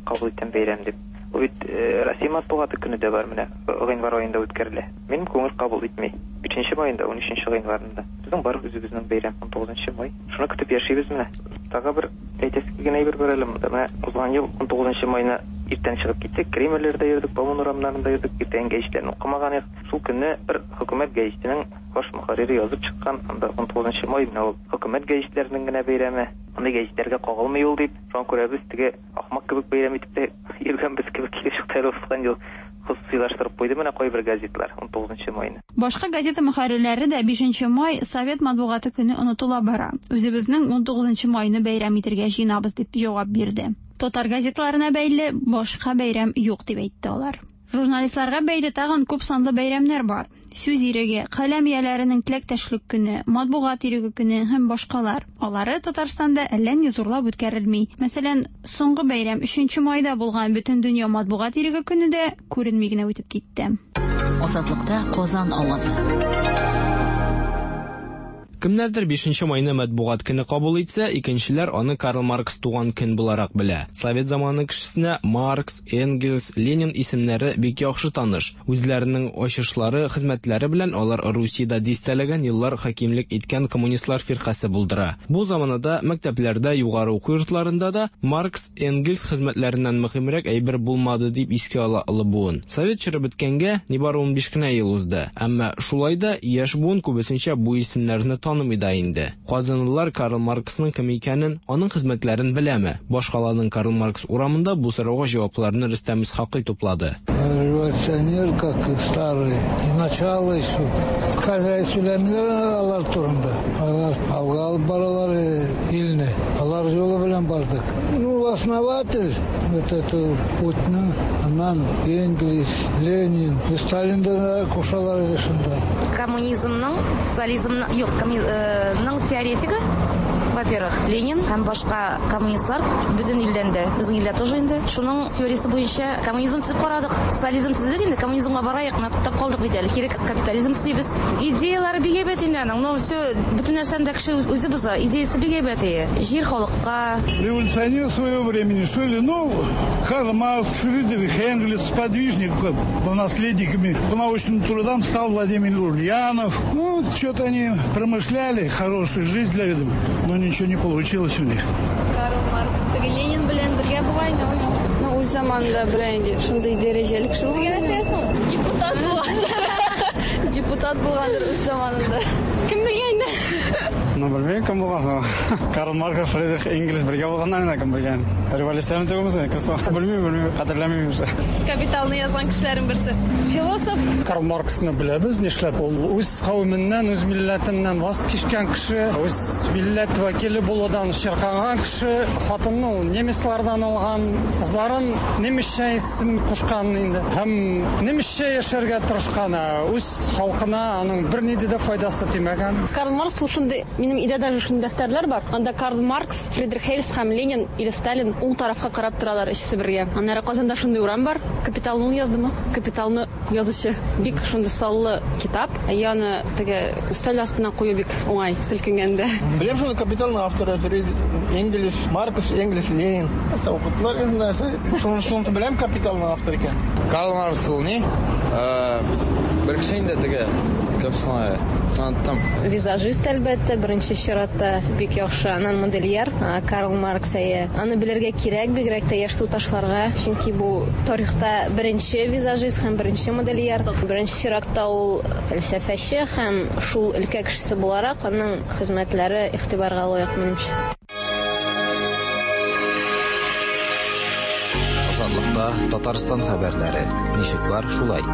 кабул иткән бәйрәм дип. Ул бит Россия матбугаты көне дә бар, менә гыйнвар аенда үткәрелә. Минем күңел кабул итми. Өченче майында, унөченче гыйнварында. Безнең бар үзебезнең бәйрәм унтугызынчы май. Шуны көтеп яшибез менә. Тагы бер әйтәсе килгән әйбер бар әле монда. Менә узган ел унтугызынчы майны иртән чыгып киттек, Кремльләрдә йөрдек, Бауман урамнарында йөрдек, иртән гәҗитләрне укымаган идек. Шул көнне бер хөкүмәт гәҗитенең баш мөхәррире язып чыккан, анда унтугызынчы май менә ул хөкүмәт гәҗитләренең генә бәйрәме. Андый гәҗитләргә кагылмый ул дип, шуңа күрә без теге ахмак кебек бәйрәм итеп тә йөргәнбез кебек килеп чыкты әле узган ел. Хосусыйлаштырып куйды менә кайбер газетлар унтугызынчы майны. Башка газета мөхәррирләре дә бишенче май совет матбугаты көне онытыла бара. Үзебезнең унтугызынчы майны бәйрәм итәргә җыенабыз дип җавап бирде. Татар газетларына бәйле башка бәйрәм юк дип әйтте алар. Журналистларга бәйле тагын күп санлы бәйрәмнәр бар. Сүз иреге, каләм ияләренең теләктәшлек көне, матбугат иреге көне һәм башкалар. Алары Татарстанда әллә ни зурлап үткәрелми. Мәсәлән, соңгы бәйрәм өченче майда булган Бөтендөнья матбугат иреге көне дә күренми генә үтеп китте. Азатлыкта Казан авазы. Кемнәрдер бишенче майны матбугат көне кабул итсә, икенчеләр аны Карл Маркс туган көн буларак белә. Совет заманы кешесенә Маркс, Энгельс, Ленин исемнәре бик яхшы таныш. Үзләренең ачышлары, хезмәтләре белән алар Русиядә дистәләгән еллар хакимлек иткән коммунистлар фиркасе булдыра. Бу заманада мәктәпләрдә, югары уку йортларында да Маркс, Энгельс хезмәтләреннән мөһимрәк әйбер булмады дип искә ала олы буын. Совет чоры беткәнгә нибары унбиш кенә ел узды. Әмма шулай да яшь буын күбесенчә бу исемнәрне танымый да инде. Казанлылар Карл Марксның кем икәнен, аның хезмәтләрен беләме? Башкаланың Карл Маркс урамында бу сорауга җавапларны Рөстәм Исхакый туплады. Революционер, как старый, и начало еще. Хәзер сөйләмиләр алар турында. Алар алга алып баралар илне. Алар юлы белән бардык. Ну, основатель вот это путьны, аннан Энгельс, Ленин, Сталин да кушалар иде шунда. Коммунизмның, социализмның, юк, коммунизмның теоретигы, во-первых, Ленин һәм башка коммунистлар бөтен илдән дә, безнең илдә тоже инде. Шуның теориясе буенча коммунизм төзеп карадык, социализм төзедек инде, коммунизмга барайык, менә туктап калдык бит әле. Кире капитализм төзибез. Идеялары бик әйбәт инде аның, но все бөтен нәрсәне дә кеше үзе боза. Идеясы бик әйбәт ие. Җир халыкка. Революционер своего времени, что ли? Ну, Карл Маркс, Фридрих Энгельс, сподвижник по наследниками по научным трудам стал Владимир Ульянов. Ну, что-то они промышляли, хорошую жизнь для этого, но ничего не получилось у них. Карл Маркс, теге Ленин белән бергә бугай, ну, үз заманында белән шундый дәрәҗәле кеше булган. Депутат булган. Депутат булгандыр үз заманында. Кем белгән инде? Ну, белмим, кем булган соң. Карл Маркс, Фридрих Энгельс бергә булганнар инде, кем белгән. Революционер түгелме, кем соң? Белмим, белмим, хәтерләмим инде. Капиталны язган кешеләрнең берсе. Философ. Карл Марксны беләбез, нишләп ул үз кавеменнән, үз милләтеннән ваз кичкән кеше, үз милләт вәкиле булудан чирканган кеше, хатынны ул немецлардан алган, кызларын немецчә исем кушкан инде. Һәм немецчә яшәргә тырышкан, үз халкына аның бернинди дә файдасы тимәгән. Карл Маркс ул шундый, минем өйдә даже шундый дәфтәрләр бар. Анда Карл Маркс, Фридрих Энгельс һәм Ленин или Сталин уң тарафка карап торалар өчесе бергә. Аннары Казанда шундый урам бар. Капиталны ул яздымы? Капиталны язучы. Бик шундый саллы китап. Аны теге өстәл астына кую бик уңай селкенгәндә. Беләм шуны, Капиталның авторы Фридрих Энгельс, Маркс, Энгельс, Ленин. Нәрсә укыттылар инде нәрсә. Шуны шуны беләм, Капиталның авторы икән. Карл Маркс ул ни? Бер кеше инде теге, кем соң әле? Оныттым. Визажист, әлбәттә, беренче чиратта бик яхшы. Аннан модельер Карл Маркс әйе. Аны белергә кирәк, бигрәк тә яшь туташларга, чөнки бу тарихта беренче визажист һәм беренче модельер. Беренче чиратта ул фәлсәфәче һәм шул өлкә кешесе буларак аның хезмәтләре игътибарга лаек, минемчә. Азатлыкта Татарстан хәбәрләре. Ничек бар, шулай.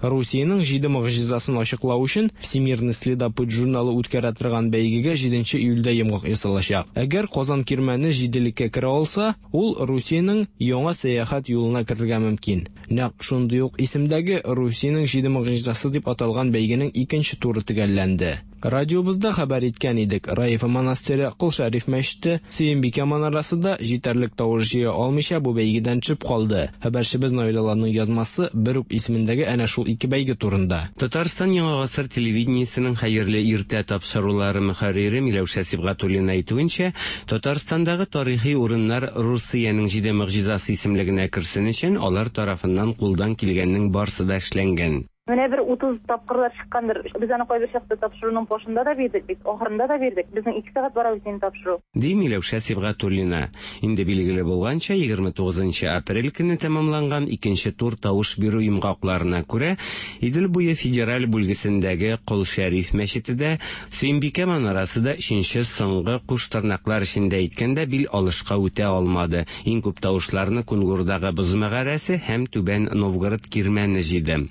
Русиянең җиде могҗизасын ачыклау өчен Всемирный следопыт журналы үткәрә торган бәйгегә җиденче июльдә йомгак ясалачак. Әгәр Казан кирмәне җиделеккә керә алса, ул Русиянең яңа сәяхәт юлына керергә мөмкин. Нәкъ шундый ук исемдәге Русиянең җиде могҗизасы дип аталган бәйгенең икенче туры төгәлләнде. Радиобызда хәбәр иткән идек. Раифа монастыре, Кол Шәриф мәчете, Сөембикә манарасы да җитәрлек тавыш җыя алмыйча бу бәйгедән төшеп калды. Хәбәрчебез Наилаларның язмасы бер үк исемендәге әнә шул ике бәйге турында. Татарстан Яңа гасыр телевидениесенең хәерле иртә тапшырулары мөхәррире Миләүшә Сибгатуллина әйтүенчә, Татарстандагы тарихи урыннар Русиянең җиде могҗизасы исемлегенә керсен өчен алар тарафыннан кулдан килгәннең барсы да эшләнгән. Менә бер утыз тапкырлар чыккандыр. Без аны кайбер чакта тапшыруның башында да бирдек бит, ахырында да бирдек. Безнең ике сәгать бара бит инде тапшыру. Ди Миләүшә Сибгатуллина. Инде билгеле булганча, егерме тугызынчы апрель көне тәмамланган икенче тур тавыш бирү йомгакларына күрә, Идел буе федераль бүлгесендәге Кол Шәриф мәчете дә, Сөембикә манарасы да өченче соңгы куш тырнаклар эчендә әйткәндә бил алышка үтә алмады. Иң күп тавышларны Кунгурдагы Боз мәгарәсе һәм Түбән Новгород кирмәне җыйды.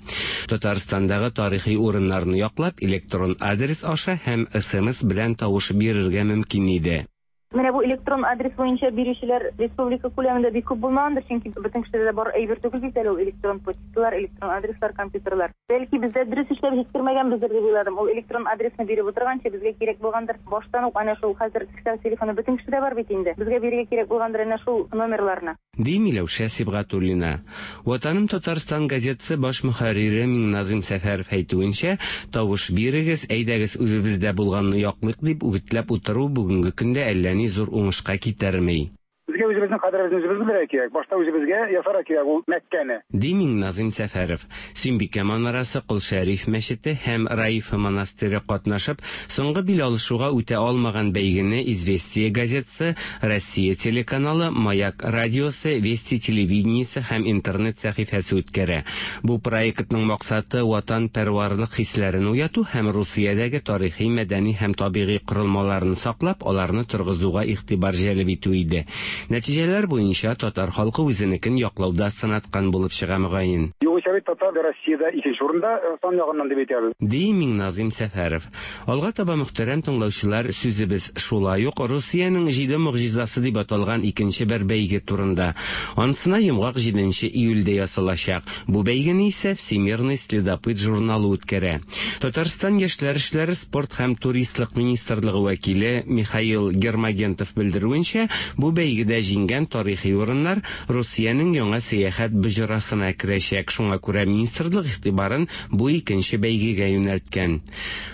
Татарстандагы тарихи урыннарны яклап, электрон адрес аша һәм эс эм эс белән тавыш бирергә мөмкин иде. Менә бу электрон адрес буенча бирүчеләр республика күләмендә бик күп булмагандыр, чөнки бөтен кешедә дә бар әйбер түгел бит әле ул электрон почталар, электрон адреслар, компьютерлар. Бәлки бездә дөрес эшләп җиткермәгәнбездер дип уйладым. Ул электрон адресны биреп утырганчы безгә кирәк булгандыр. Баштан ук әнә шул хәзер кесә телефоны бөтен кешедә бар бит инде. Безгә бирергә кирәк булгандыр әнә шул номерларны. Ди Миләүшә Сибгатуллина. Ватаным Татарстан газетасы баш мөхәррире Миңназым Сәфәров әйтүенчә, тавыш бирегез, әйдәгез үзебездә булганны яклыйк дип үгетләп утыру бүгенге көндә әллә ни зур уңышка китерми. Безгә үзебезнең кадеребезне үзебез белергә кирәк. Башта үзебезгә ясарга кирәк ул Мәккәне. Ди Миңназым Сәфәров. Сөембикә манарасы, Кол Шәриф мәчете һәм Раифа монастыре катнашып, соңгы бил алышуга үтә алмаган бәйгене Известия газетасы, Россия телеканалы, Маяк радиосы, Вести телевидениесе һәм интернет сәхифәсе үткәрә. Бу проектның максаты ватанпәрварлык хисләрен уяту һәм Русиядәге тарихи, мәдәни һәм табигый корылмаларны саклап, аларны торгызуга игътибар җәлеп итү иде. Нәтиҗәләр буенча татар халкы үзенекен яклауда сынаткан булып чыга мөгаен. Югыйсә бит татар Россиядә икенче урында сан ягыннан дип әйтәбез. Ди Миңназым Сәфәров. Алга таба мөхтәрәм тыңлаучылар, сүзебез шулай ук Русиянең җиде могҗизасы дип аталган икенче бер бәйге турында. Анысына йомгак җиденче июльдә ясалачак. Бу бәйгене исә Всемирный следопыт журналы үткәрә. Татарстан яшьләр эшләре, спорт һәм туристлык министрлыгы вәкиле Михаил Гермогентов белдерүенчә, бу бәйгедә җиңгән тарихи урыннар Русиянең яңа сәяхәт боҗрасына керәчәк. Шуңа күрә министрлык игътибарын бу икенче бәйгегә юнәлткән.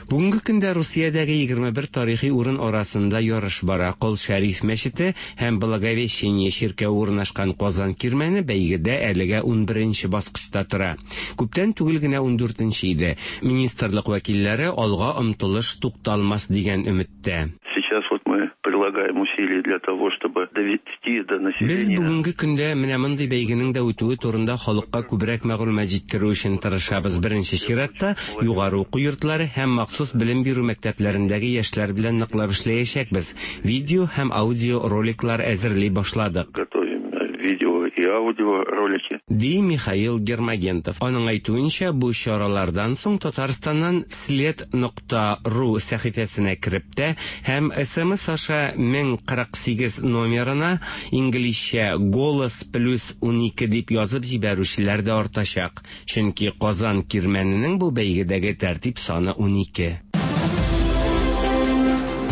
Бүгенге көндә Русиядәге егерме бер тарихи урын арасында ярыш бара. Кол Шәриф мәчете һәм Благовещение чиркәве урнашкан Казан кирмәне бәйгедә әлегә унберенче баскычта тора. Күптән түгел генә ундүртенче иде. Министрлык вәкилләре алга омтылыш тукталмас дигән өметтә. Сейчас вот мы прилагаем усилия для того, чтобы довести до населения. Без бүгенге көндә менә мондый бәйгенең дә үтүе турында халыкка күбрәк мәгълүмат җиткерү өчен тырышабыз. Беренче чиратта югары уку йортлары һәм махсус белем бирү мәктәпләрендәге яшьләр белән ныклап эшләячәкбез. Видео һәм аудио роликлар әзерли башладык. Готовим видео и аудио ролики. Ди Михаил Гермогентов. Аның әйтүенчә, бу чаралардан соң Татарстаннан след нокта ру сәхифәсенә кереп тә һәм эс эм эс аша мең кырык сигез номерына инглизчә голос плюс унике дип язып җибәрүчеләр дә артачак. Чөнки Казан кирмәненең бу бәйгедәге тәртип саны унике.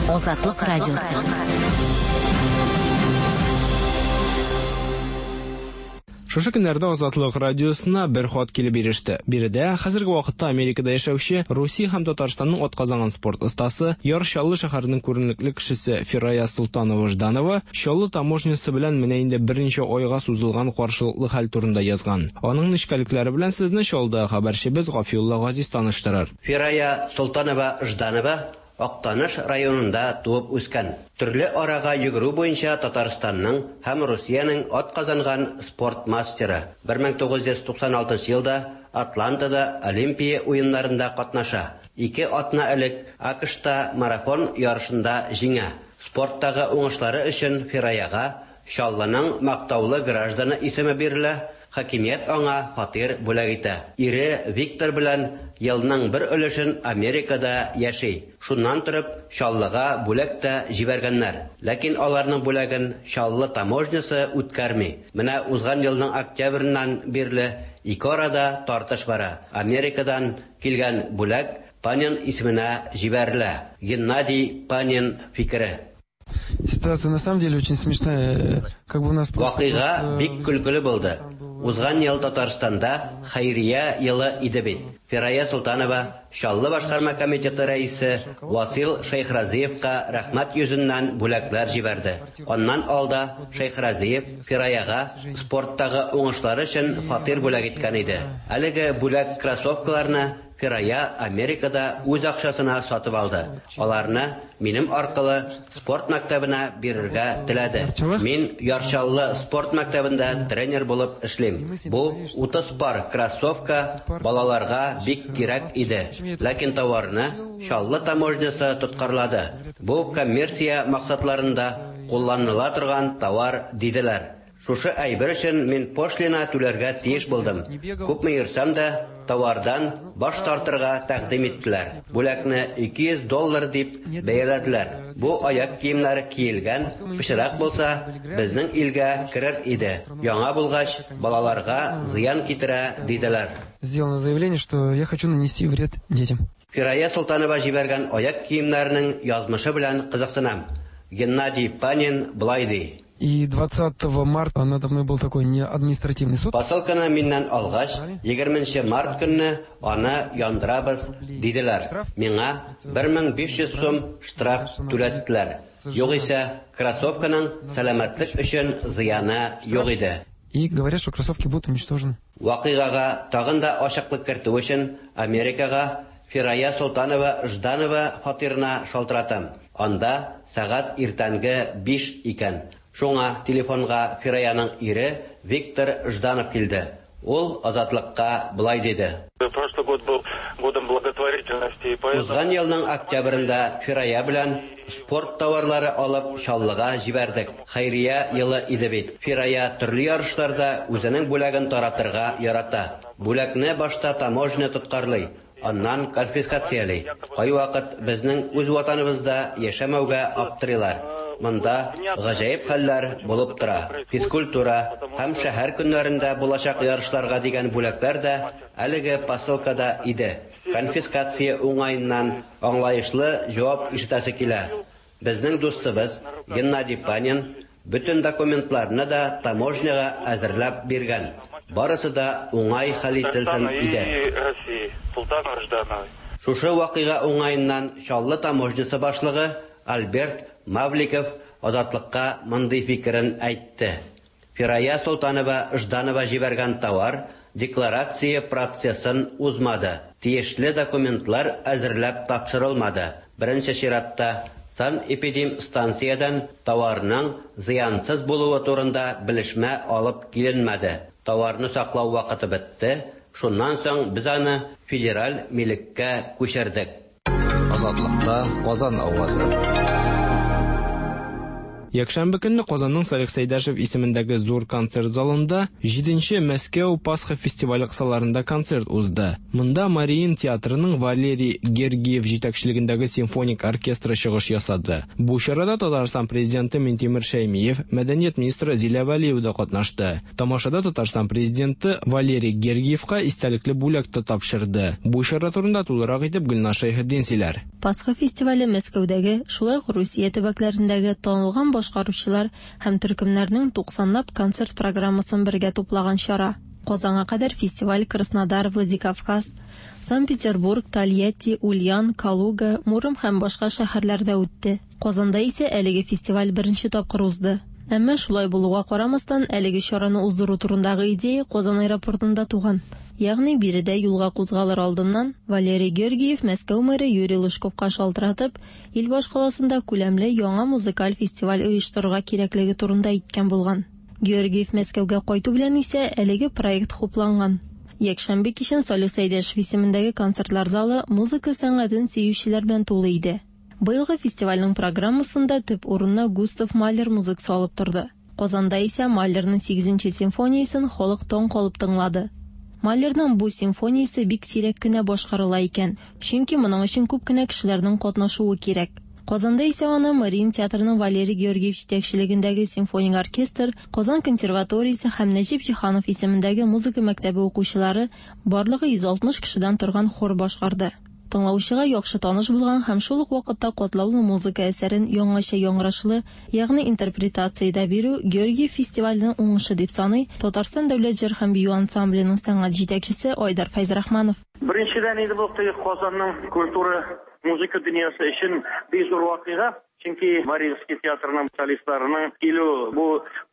Азатлык радиосы. Шушы көннәрдә Азатлык радиосына бер хат килеп иреште. Биредә хәзерге вакытта Америкада яшәүче Русия һәм Татарстанның атказанган спорт остасы, Яр Чаллы шәһәренең күренекле кешесе Фирая Солтанова Жданова Чаллы таможнясы белән менә инде берничә айга сузылган каршылыклы хәл турында язган. Аның нечкәлекләре белән сезне Чаллыда хәбәрчебез Гафиулла Газиз таныштырыр. Фирая Солтанова Жданова Актаныш районында туып үскән. Төрле арага йөгерү буенча Татарстанның һәм Русиянең атказанган спорт мастеры. бер мең тугыз йөз туксан алтынчы елда Атлантада Олимпия уеннарында катнаша. Ике атна элек АКШта марафон ярышында җиңә. Спорттагы уңышлары өчен Фираяга Чаллының мактаулы гражданы исеме бирелә. Хакимият аңа фатир бүләк итә. Ире Виктор белән елның бер өлешен Америкада яши. Шуннан торып Чаллыга бүләк тә җибәргәннәр. Ләкин аларның бүләген Чаллы таможнясы үткәрми. Менә узган елның октябреннән бирле ике арада тартыш бара. Америкадан килгән бүләк Панин исеменә җибәрелә. Геннадий Панин фикере. Ситуация на самом деле очень смешная. Как бы у нас просто Вакыйга бик көлкеле булды. Узган ел Татарстанда хәйрия елы иде бит. Фирая Солтанова Чаллы башкарма комитеты рәисе Васил Шәйхразиевка рәхмәт йөзеннән бүләкләр җибәрде. Аннан алда Шәйхразиев Фираяга спорттагы уңышлары өчен фатир бүләк иткән иде. Әлеге бүләк кроссовкаларны Фирая Америкада үз акчасына сатып алды. Аларны минем аркылы спорт мәктәбенә бирергә теләде. Мин Яр Чаллы спорт мәктәбендә тренер булып эшлим. Бу утыз пар кроссовка балаларга бик кирәк иде. Ләкин товарны Чаллы таможнясы тоткарлады. Бу коммерция максатларында кулланыла торган товар диделәр. Шушы әйбер өчен мин пошлина түләргә тиеш булдым. Күпме йөрсәм дә, товардан баш тартырга тәкъдим иттеләр. Бүләкне ике йөз доллар дип бәяләделәр. Бу аяк киемнәре киелгән, пычрак булса, безнең илгә керер иде. Яңа булгач, балаларга зыян китерә диделәр. Сделано заявление, что я хочу нанести вред детям. Фирая Солтанова җибәргән аяк киемнәренең язмышы белән кызыксынам. Геннадий Панин былай ди. И двадцатого марта надо мной был такой не административный суд. Посылканы миннән алгач, егерменче март көнне аны яндырабыз диделәр. Миңа бер мең биш йөз сум штраф түләттеләр. Югыйсә, кроссовканың сәламәтлек өчен зыяны юк иде. И говорят, что кроссовки будут уничтожены. Вакыйгага тагын да ачыклык кертү өчен Америкага Фирая Солтанова Жданова фатирына шалтыратам. Анда сәгать иртәнге биш икән. Шуңа телефонга Фираяның ире Виктор Жданов килде. Ул Азатлыкка былай диде. Прошлый год был годом благотворительности, и поэтому Узган елның октябрендә Фирая белән спорт товарлары алып Чаллыга җибәрдек. Хәйрия елы иде бит. Фирая төрле ярышларда үзенең бүләген таратырга ярата. Бүләкне башта таможня тоткарлый, аннан конфискацияли. Кайвакыт безнең үз ватаныбызда яшәмәүгә аптырыйлар. Монда гаҗәеп хәлләр булып тора. Физкультура һәм шәһәр көннәрендә булачак ярышларга дигән бүләкләр дә әлеге посылкада иде. Конфискация уңаеннан аңлаешлы җавап ишетәсе килә. Безнең дустыбыз Геннадий Панин бөтен документларны да таможняга әзерләп биргән. Барысы да уңай хәл ителсен иде. Шушы вакыйга уңаеннан Чаллы таможнясы башлыгы Альберт Мавликов Азатлыкка мондый фикерен әйтте. Фирая Солтанова Жданова җибәргән товар декларация процессын узмады. Тиешле документлар әзерләп тапшырылмады. Беренче чиратта санэпидемстанциядән товарның зыянсыз булуы турында белешмә алып киленмәде. Товарны саклау вакыты бетте. Шуннан соң без аны федераль милеккә күчердек. Азатлыкта Казан авазы. Якшәмбе көнне Казанның Салих Сәйдәшев исемендәге зур концерт залында җиденче Мәскәү Пасха фестивале кысаларында концерт узды. Монда Мариин театрының Валерий Гергиев җитәкчелегендәге симфоник оркестры чыгыш ясады. Бу чарада Татарстан президенты Минтимер Шәймиев, мәдәният министры Зилә Вәлиева да катнашты. Тамашада Татарстан президенты Валерий Гергиевка истәлекле бүләк тә тапшырды. Бу чара турында тулырак итеп Гөлназ Шәйхетдин сөйләр. Пасха фестивале Мәскәүдәге, шулай ук Русия төбәкләрендәге танылган башкаручылар һәм төркемнәрнең туксанлап концерт программасын бергә туплаган чара. Казанга кадәр фестиваль Краснодар, Владикавказ, Санкт-Петербург, Тольятти, Ульян, Калуга, Муром һәм башка шәһәрләрдә үтте. Казанда исә әлеге фестиваль беренче тапкыр узды. Әмма шулай булуга карамастан, әлеге чараны уздыру турындагы идея Казан аэропортында туган. Ягъни биредә юлга кузгалыр алдыннан Валерий Георгиев Мәскәү мэры Юрий Лужковка шалтыратып, ил башкаласында күләмле яңа музыкаль фестиваль оештырырга кирәклеге турында әйткән булган. Георгиев Мәскәүгә кайту белән исә әлеге проект хупланган. Якшәмбе кичен Салих Сәйдәшев исемендәге концертлар залы музыка сәнгатен сөючеләр белән тулы иде. Быелгы фестивальнең программасында төп урынны Густав Малер музыкасы алып торды. Казанда исә Малерның сигезенче симфониясен халык таң калып тыңлады. Малерның бу симфониясе бик сирәк кенә башкарыла икән, чөнки моның өчен күп кенә кешеләрнең катнашуы кирәк. Казанда исә аны Мариин театрының Валерий Георгиев җитәкчелегендәге симфоник оркестр, Казан консерваториясе һәм Нәҗип Җиһанов исемендәге музыка мәктәбе укучылары барлыгы йөз алтмыш кешедән торган хор башкарды. Тыңлаучыга яхшы таныш булган һәм шул ук вакытта катлаулы музыка әсәрен яңача яңгырашлы, ягъни интерпретациядә бирү Георгиев фестиваленең уңышы дип саный Татарстан дәүләт җыр һәм бию ансамбленең сәнгать җитәкчесе Айдар Фәйзрахманов. Беренчедән инде бу Казанның культура музыка дөньясы өчен бик зур вакыйга. Чөнки Мариинский театрының солистларының килү бу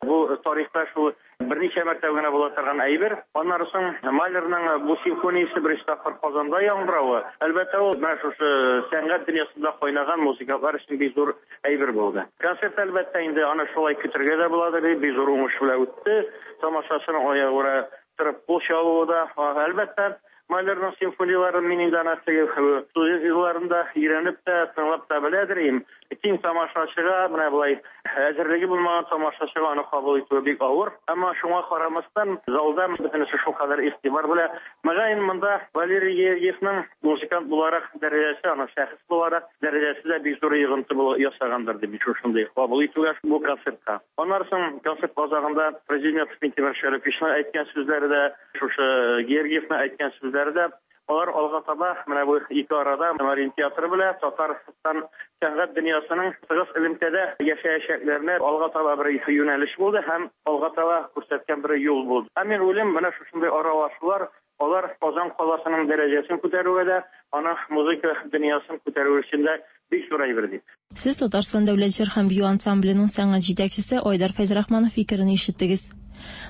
бу тарихта шул берничә мәртәбә генә була торган әйбер. Аннары соң Малерның бу симфониясе беренче тапкыр Казанда яңгыравы, әлбәттә, ул менә шушы сәнгать дөньясында кайнаган музыкантлар өчен бик зур әйбер булды. Концерт әлбәттә инде аны шулай көтергә дә буладыр, бик зур уңыш белән үтте. Тамашачының аягүрә торып кул чабуы да, әлбәттә, Малерның симфонияларын мин инде ана теге студент елларында өйрәнеп тә, тыңлап та беләдер идем. Киң тамашачыга менә болай әзерлеге булмаган тамашачыга аны кабул итү бик авыр. Әмма шуңа карамастан залда бөтенесе шулкадәр игътибар белән. Мөгаен монда Валерий Георгиевның музыкант буларак дәрәҗәсе, аның шәхес буларак дәрәҗәсе дә бик зур йогынты ясагандыр дип шушындый кабул итүгә бу концертка. Аннары соң концерт азагында президент Минтимер Шәриповичның әйткән сүзләре дә, шушы Георгиевның әйткән сүзләре дә, алар алга таба менә бу ике арада Мариин театры белән Татарстан сәнгать дөньясының тыгыз элемтәдә яшәячәкләренә алга таба бер юнәлеш булды һәм алга таба күрсәткән бер юл булды. Һәм мин уйлыйм, менә шушындый аралашулар алар Казан каласының дәрәҗәсен күтәрүгә дә, аның музыка дөньясын күтәрү өчен дә бик зур әйбер дип. Сез Татарстан дәүләт җыр һәм бию ансамбленең сәнгать җитәкчесе Айдар Фәйзрахманов фикерен ишеттегез.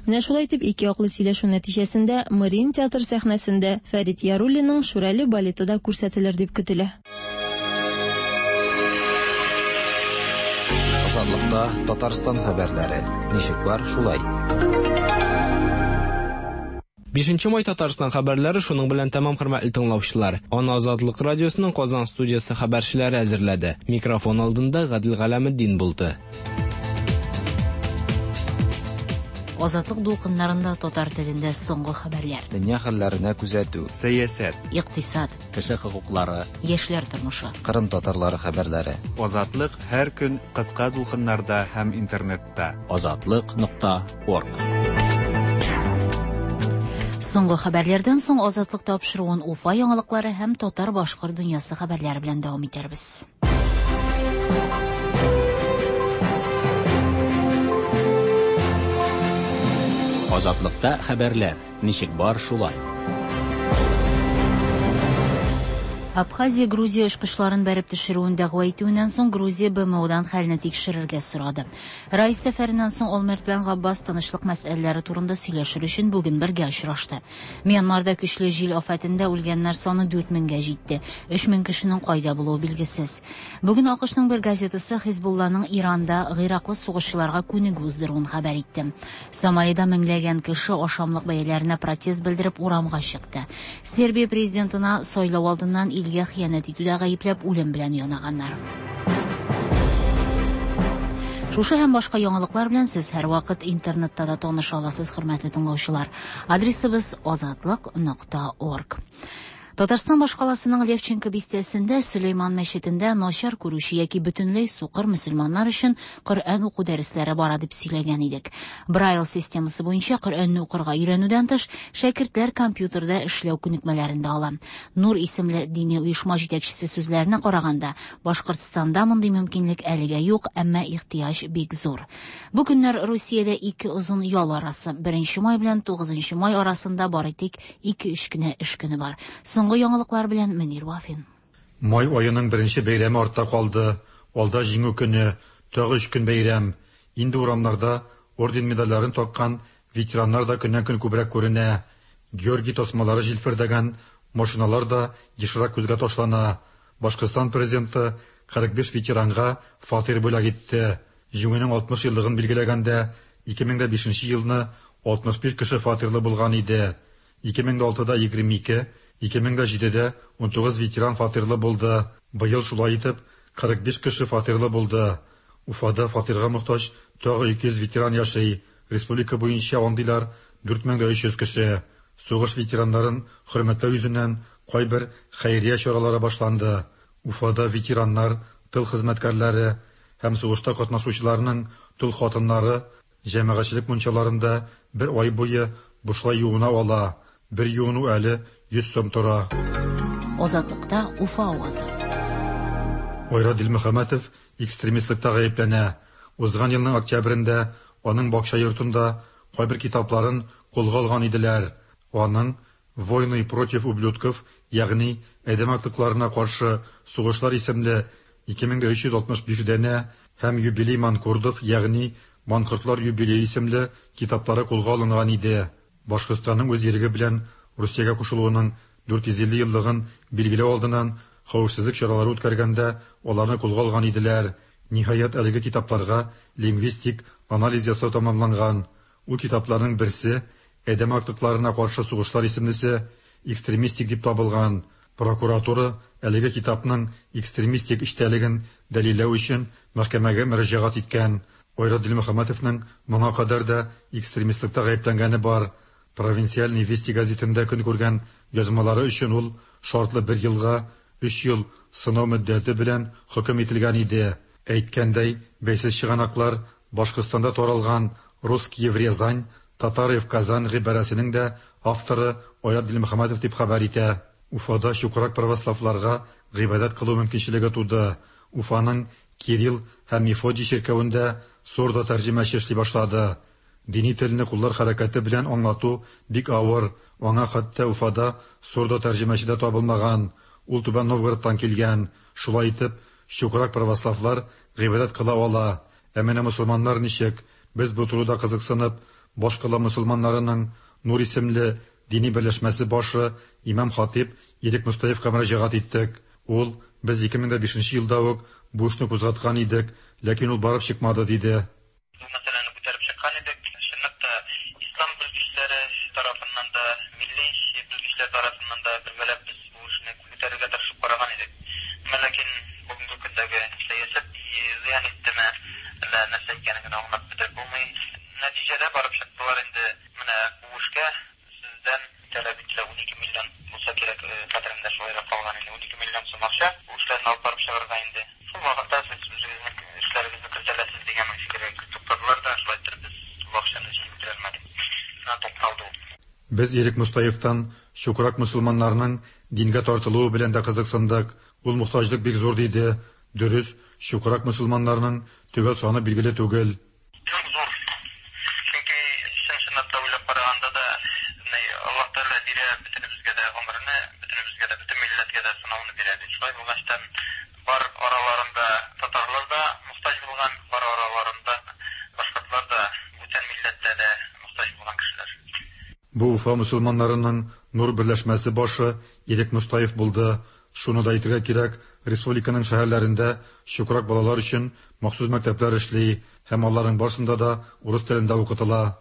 Менә шулай итеп ике яклы сөйләшү нәтиҗәсендә Мариин театр сәхнәсендә Фәрит Яруллинның Шүрәле балеты да күрсәтелер дип көтелә. Азатлыкта Татарстан хәбәрләре. Ничек бар, шулай. Бишенче май Татарстан хәбәрләре шуның белән тәмам, хөрмәтле тыңлаучылар. Аны Азатлык радиосының Казан студиясе хәбәрчеләре әзерләде. Микрофон алдында Гадел Галәметдин булды. Азатлык дулкыннарында татар телендә соңгы хәбәрләр. Дөнья хәлләренә күзәтү, сәясәт, икътисад, кеше хокуклары, яшьләр тормышы, Кырым татарлары хәбәрләре. Азатлык һәр көн кыска дулкыннарда һәм интернетта. Азатлык нокта орг. Соңгы хәбәрләрдән соң Азатлык тапшыруын Уфа яңалыклары һәм татар-башкорт дөньясы хәбәрләре белән дәвам итәрбез. Азатлыкта хәбәрләр ничек бар, шулай. Абхазия Грузия очкычларын бәреп төшерүен дәгъва итүеннән соң Грузия Б М Одан хәлне тикшерергә сорады. Райс сәфәреннән соң Олмерт белән Габбас тынычлык мәсьәләләре турында сөйләшер өчен бүген бергә очрашты. Мьянмарда көчле җил афәтендә үлгәннәр саны дүрт меңгә җитте. Өч мең кешенең кайда булуы билгесез. Бүген А К Шның бер газетасы Хизбулланың Иранда гыйраклы сугышчыларга күнегү уздыруын хәбәр итте. Сомалида меңләгән кеше ашамлык бәяләренә протест белдереп урамга чыкты. Сербия президентына сайлау алдыннан илгә хыянәт итүдә гаепләп үлем белән янаганнар. Шушы һәм башка яңалыклар белән сез һәрвакыт интернетта да таныша аласыз, хөрмәтле тыңлаучылар. Адресыбыз азатлык нокта орг. Татарстан башкаласының Левченко бистәсендә Сөләйман мәчетендә начар күрүче яки бөтенләй сукыр мөселманнар өчен Коръән уку дәресләре бара дип сөйләгән идек. Брайл системасы буенча Коръәнне укырга өйрәнүдән тыш, шәкертләр компьютерда эшләү күнекмәләрен дә ала. Нур исемле дини оешма җитәкчесе сүзләренә караганда, Башкортстанда мондый мөмкинлек әлегә юк, әмма ихтыяҗ бик зур. Бу көннәр Русиядә ике озын ял арасы, беренче май белән тугызынчы май арасында бары тик ике-өч кенә эш көне бар. Соңгы яңалыклар белән Мөнир Вафин. Май аеның беренче бәйрәме артта калды. Алда Җиңү көне, тагы өч көн бәйрәм. Инде урамнарда орден медальләрен таккан ветераннар да көннән-көн күбрәк күренә. Георгий тасмалары җилфердәгән машиналар да ешрак күзгә ташлана. Башкортстан президенты кырык биш ветеранга фатир бүләк итте. Җиңүнең алтмыш еллыгын билгеләгәндә ике мең дә бишенче елны алтмыш биш кеше фатирлы булган иде. ике мең дә алтыда егерме ике, ике мең дә җидедә ун тугыз ветеран фатирлы булды. Быел шулай итеп кырык биш кеше фатирлы булды. Уфада фатирга мохтаҗ тагы ике йөз ветеран яши. Республика буенча андыйлар дүрт мең дә өч йөз кеше. Сугыш ветераннарын хөрмәтләү йөзеннән кайбер хәйрия чаралары башланды. Уфада ветераннар, тыл хезмәткәрләре һәм сугышта катнашучыларның тол хатыннары җәмәгатьчелек мунчаларында бер ай буе бушлай юына ала. Бер юыну әле йөз сум тора. Азатлыкта Уфа авазы. Айрат Дилмөхәмәтов экстремистлыкта гаепләнә. Узган елның октябрендә аның бакча йортында кайбер китапларын кулга алган иделәр. Аның «Войны против ублюдков», ягъни адәм аклыкларына каршы сугышлар исемле ике мең дә өч йөз алтмыш биш данә һәм «Юбилей манкурдов», ягъни Манкортлар юбилее исемле китаплары кулга алынган иде. Башкортстанның үз иреге белән Русиягә кушылуының дүрт йөз илле еллыгын билгеләү алдыннан хәвефсезлек чаралары үткәргәндә аларны кулга алган иделәр. Ниһаять, әлеге китапларга лингвистик анализ ясау тәмамланган. Ул китапларның берсе «Адәм аклыкларына каршы сугышлар» исемлесе экстремистик дип табылган. Прокуратура әлеге китапның экстремистик эчтәлеген дәлилләү өчен мәхкәмәгә мөрәҗәгать иткән. Айрат Дилмөхәмәтовның моңа кадәр дә экстремистлыкта гаепләнгәне бар. Провинциальный Вести газетында көн күргән язмалары өчен ул шартлы бер елга өч ел сынау мөддәте белән хөкем ителгән иде. Әйткәндәй, бәйсез чыганаклар Башкортстанда таралган «Русские в Рязань», «Татары в Казань» гыйбарәсенең дә авторы Айрат Дилмөхәмәтов дип хәбәр итә. Уфада чукрак православларга гыйбадәт кылу мөмкинчелеге туды. Уфаның Кирилл һәм Мефодий чиркәвендә сурдо тәрҗемәче эшли башлады. Дини телне куллар хәрәкәте белән аңлату бик авыр. Аңа хәтта Уфада сурдо тәрҗемәче дә табылмаган. Ул Түбән Новгородтан килгән. Шулай итеп, чукрак православлар гыйбадәт кыла ала. Ә менә мөселманнар ничек? Без бу турыда кызыксынып, башкала мөселманнарының Нур исемле дини берләшмәсе башы имам хатип Ирек Мустаевка мөрәҗәгать иттек. Ул: "Без ике мең дә бишенче елда ук бу эшне кузгаткан идек, ләкин ул барып чыкмады", диде. Бу мәсьәләне күтәреп чыккан идек. Чынлап та ислам белгечләре тарафыннан да, милли белгечләр тарафыннан да бергәләп без бу эшне күтәрергә тырышып караган идек. Әмма ләкин бүгенге көндәге сәясәт зыян иттеме, әллә нәрсә икәнен генә аңлап бетереп булмый. Нәтиҗәдә барып чыктылар инде менә бу эшкә сездән таләп ителә ун ике миллион булса кирәк, хәтеремдә шулайрак калган инде, ун ике миллион сум акча бу эшләрне алып барып чыгарга инде. Шул вакытта сез үзегезнең эшләрегезне кертәләсез дигән фикергә туктадылар да, шулай итеп без бу акчаны җыеп бетерә алмадык. Шуннан тукталды ул. Без Ирек Мустаевтан чукрак мөселманнарның дингә тартылуы белән дә кызыксындык. Ул мохтаҗлык бик зур диде. Дөрес, чукрак мөселманнарның төгәл саны билгеле түгел. Бик зур. Чөнки чын-чынлап та уйлап караганда да, Аллаһ Тәгалә бирә бөтенебезгә дә гомерне, бөтенебезгә дә, бөтен милләткә дә сынауны бирә бит. Шулай булгачтан бар араларында татарлар да мохтаҗ булган, бар араларында башкортлар да, бүтән милләттә дә мохтаҗ булган кешеләр. Бу Уфа мөселманнарының Нур берләшмәсе башы Ирек Мустаев булды. Шуны да әйтергә кирәк, республиканың шәһәрләрендә чукрак балалар өчен махсус мәктәпләр эшли һәм аларның барсында да урыс телендә укытыла.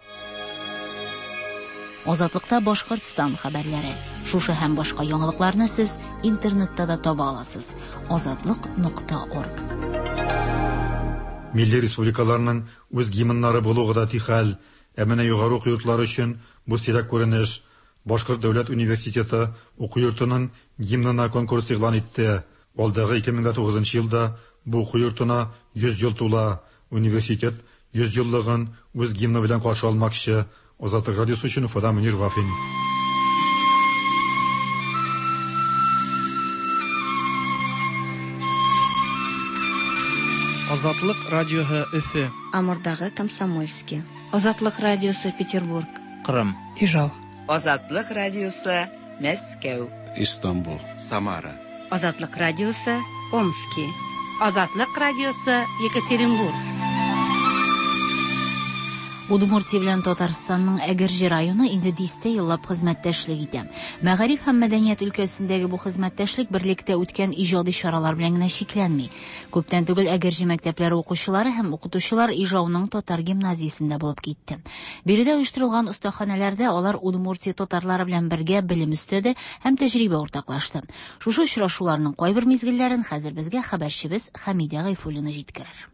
Азатлыкта Башкортстан хәбәрләре. Шушы һәм башка яңалыкларны сез интернетта да таба аласыз. Азатлык нокта орг. Милли республикаларның үз гимннары булу гадәти хәл. Ә менә югары уку йортлары өчен бу сирәк күренеш. Башкорт дәүләт университеты уку йортының гимнына конкурс игълан итте. Алдагы ике мең тугызынчы елда бу уку йортына йөз ел тула. Университет йөз еллыгын үз гимны белән каршы алмакчы. Азатлык радиосы өчен Уфадан Мөнир Вафин. Азатлык радиосы Өфе. Амурдагы Комсомольский. Азатлык радиосы Петербург. Кырым. Ижау. Азатлык радиосы Мәскәү. Истанбул. Самара. Азатлык радиосы Омски. Азатлык радиосы Екатеринбург. Удмуртия белән Татарстанның Әгерҗе районы инде дистә еллап хезмәттәшлек итә. Мәгариф һәм мәдәният өлкәсендәге бу хезмәттәшлек берлектә үткән иҗади чаралар белән генә чикләнми. Күптән түгел Әгерҗе мәктәпләре укучылары һәм укытучылар Ижауның татар гимназиясендә булып китте. Биредә оештырылган остаханәләрдә алар Удмуртия татарлары белән бергә белем өстәде һәм тәҗрибә уртаклашты. Шушы очрашуларның кайбер мизгелләрен хәзер безгә хәбәрчебез Хәмидә Гайфуллина җиткерер.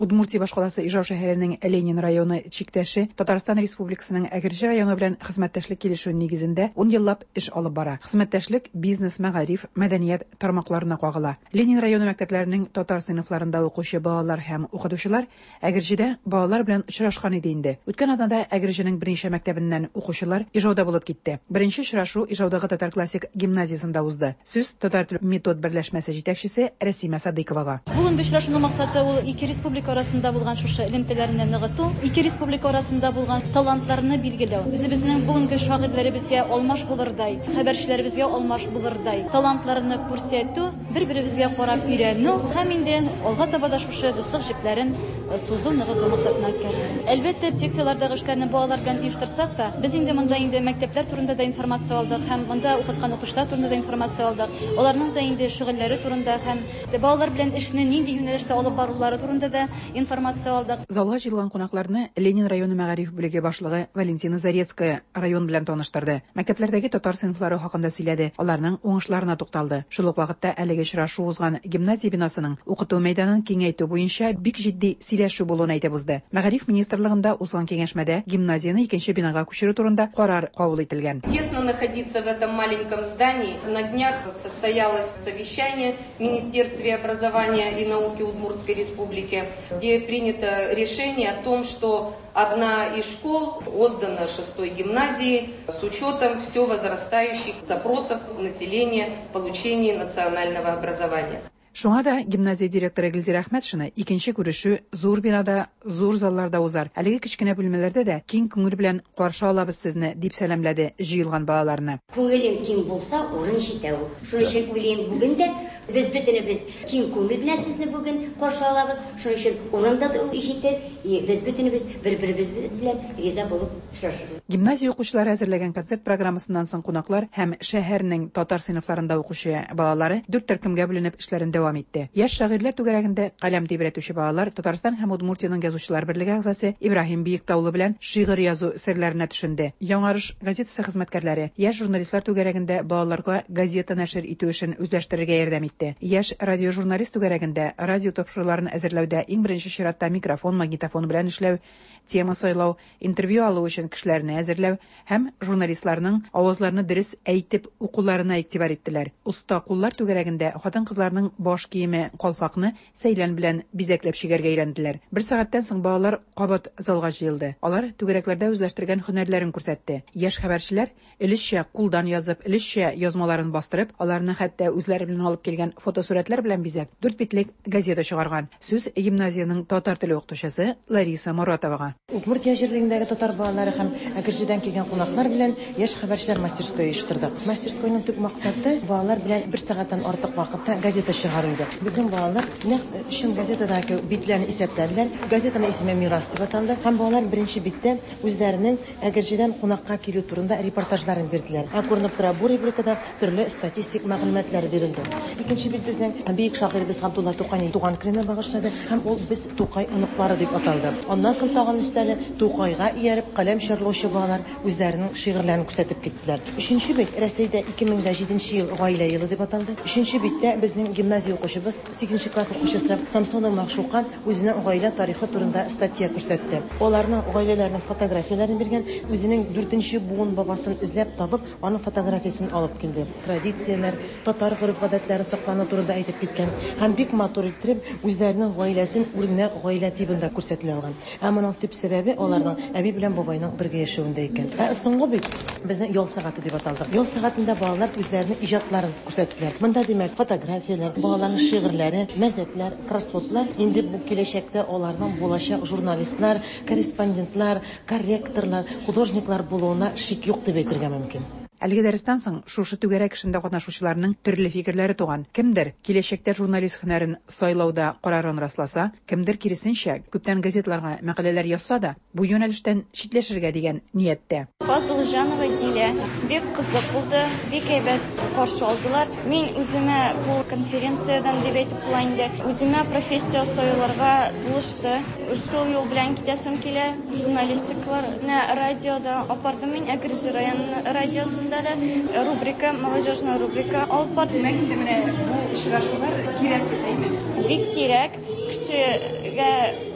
Удмуртия башкаласы Ижау шәһәренең Ленин районы чиктәше Татарстан Республикасының Әгерҗе районы белән хезмәттәшлек килешүе нигезендә ун еллап эш алып бара. Хезмәттәшлек бизнес, мәгариф, мәдәният тармакларына кагыла. Ленин районы мәктәпләренең татар сыйныфларында укучы балалар һәм укытучылар Әгерҗедә балалар белән очрашкан иде инде. Үткән атнада Әгерҗенең берничә мәктәбеннән укучылар Ижауда булып китте. Беренче очрашу Ижаудагы татар классик гимназиясендә узды. Сүз татар тел метод берләшмәсе җитәкчесе Рәсимә Садыйковага. Бүгенге очрашуның максаты ул ике республика арасында булган шушы элемтәләрне ныгыту, ике республика арасында булган талантларны билгеләү. Үзебезнең бүгенге шагыйрьләребезгә алмаш булырдай, хәбәрчеләребезгә алмаш булырдай талантларны күрсәтү, бер-беребезгә карап өйрәнү һәм инде алга таба да шушы дуслык җепләрен сузу, ныгыту максатына үткәрелә. Әлбәттә, секцияләрдәге эшләрне балалар белән оештырсак та, без инде монда инде мәктәпләр турында да информация алдык һәм монда укыткан укучылар турында да информация алдык. Аларның да инде шөгыльләре турында һәм балалар белән эшне нинди юнәлештә алып барулары турында да информация алдык. Залга җыелган кунакларны Ленин районы мәгариф бүлеге башлыгы Валентина Зарецкая район белән таныштырды. Мәктәпләрдәге татар сыйныфлары хакында сөйләде, аларның уңышларына тукталды. Шул ук вакытта әлеге очрашу узган гимназия бинасының укыту мәйданын киңәйтү буенча бик җитди сөйләшү булуын әйтеп узды. Мәгариф министрлыгында узган киңәшмәдә гимназияне икенче бинага күчерү турында карар кабул ителгән. Тесно находиться в этом маленьком здании. На днях состоялось совещание в Министерстве образования и науки Удмуртской Республики, где принято решение о том, что одна из школ отдана шестой гимназии с учетом все возрастающих запросов населения в получении национального образования. Шуңа да гимназия директоры Гөлзирә Әхмәтшина икенче күрешү зур бинада, зур залларда узар. Әлеге кечкенә бүлмәләрдә дә киң күңел белән каршы алабыз сезне, дип сәламләде җыелган балаларны. Күңелең киң булса, урын җитә ул. Шуның өчен уйлыйм, бүген дә без бөтенебез киң күңел белән сезне бүген каршы алабыз. Шуның өчен урын да җитер, без бөтенебез бер-беребез белән риза булып очрашырбыз. Гимназия укучылары әзерләгән концерт программасыннан соң кунаклар һәм шәһәрнең татар сыйныфларында укучы балалары дүрт төркемгә бүленеп эшләрен дәвам итте. Яшь шагыйрьләр түгәрәгендә каләм тибрәтүче балалар Татарстан һәм Удмуртиянең язучылар берлеге әгъзасы Ибраһим Биектаулы белән шигырь язу серләренә төшенде. Яңарыш газетасы хезмәткәрләре яшь журналистлар түгәрәгендә балаларга газета нәшер итү эшен үзләштерергә ярдәм итте. Яшь радиожурналист түгәрәгендә радио тапшыруларын әзерләүдә иң беренче чиратта микрофон, магнитофон белән эшләү, тема сайлау, интервью алу өчен кешеләрне әзерләү һәм журналистларның авазларны дөрес әйтеп укуларына игътибар иттеләр. Оста куллар түгәрәгендә хатын-кызларның баш киеме калфакны сәйлән белән бизәкләп чигәргә өйрәнделәр. Бер сәгатьтән соң балалар кабат залга җыелды. Алар түгәрәкләрдә үзләштергән һөнәрләрен күрсәтте. Яшь хәбәрчеләр өлешчә кулдан язып, өлешчә язмаларын бастырып, аларны хәтта үзләре белән алып килгән фотосурәтләр белән бизәп, дүрт битлек газета чыгарган. Сүз гимназиянең татар теле укытучысы Лариса Моратовага. Удмуртия җирлегендәге татар балалары һәм Әгерҗедән килгән кунаклар белән яшь хәбәрчеләр мастерское оештырдык. Мастерскойның төп максаты балалар белән бер сәгатьтән артык вакытта газета чыгару иде. Безнең балалар нәкъ чын газетадагы битләрне исәпләделәр. Газетаның исеме Мирас дип аталды. Һәм балалар беренче биттә үзләренең Әгерҗедән кунакка килү турында репортажларын бирделәр. Ә күренеп тора, бу рубрикада төрле статистик мәгълүматлар бирелде. Икенче бит безнең бөек шагыйребез Габдулла Тукайның туган көненә багышлады һәм ул без Тукай оныклары дип аталды. Аннан соң тагын өстәле Тукайга ияреп каләм чарлаучы балалар үзләренең шигырьләрен күрсәтеп киттеләр. Өченче бит Рәсәйдә ике мең җиденче ел гаилә елы дип аталды. Өченче биттә безнең гимназия Безнең укучыбыз, сигезенче класс укучысы Самсонова Махшука үзенең гаилә тарихы турында статья күрсәтте. Аларның гаиләләренең фотографияләрен биргән, үзенең дүртенче буын бабасын эзләп табып, аның фотографиясен алып килде. Традицияләр, татар гореф-гадәтләре саклану турында әйтеп киткән һәм бик матур итеп үзләренең гаиләсен үрнәк гаилә тибында күрсәтелә алган. Ә моның төп сәбәбе аларның әби белән бабайның бергә яшәвендә икән. Ә соңгы бит безнең ял сәгате дип аталды. Ял сәгатендә балалар үзләренең иҗатларын күрсәттеләр. Монда димәк фотографияләр, балаларның шигырьләре, мәзәкләр, кроссвордлар. Инде бу киләчәктә аларның булачак журналистлар, корреспондентлар, корректорлар, художниклар булуына шик юк дип әйтергә мөмкин. Әлеге дәрестән соң шушы түгәрәк эшендә катнашучыларның төрле фикерләре туган. Кемдер киләчәктә журналист һөнәрен сайлауда карарын расласа, кемдер киресенчә күптән газетларга мәкаләләр язса да, бу юнәлештән читләшергә дигән нияттә. Фазылҗанова Дилә. Бик кызык булды, бик әйбәт каршы алдылар. Мин үземә бу конференциядән дип әйтеп була инде, үземә профессия сайларга булышты. Шул юл белән китәсем килә. Журналистикалар менә радиода апардым мин, Әгерҗе район радиосында да рубрика, молодежная рубрика алып бардым. Димәк, инде менә бу очрашулар кирәк дип әйтәм. Бик кирәк. Кешегә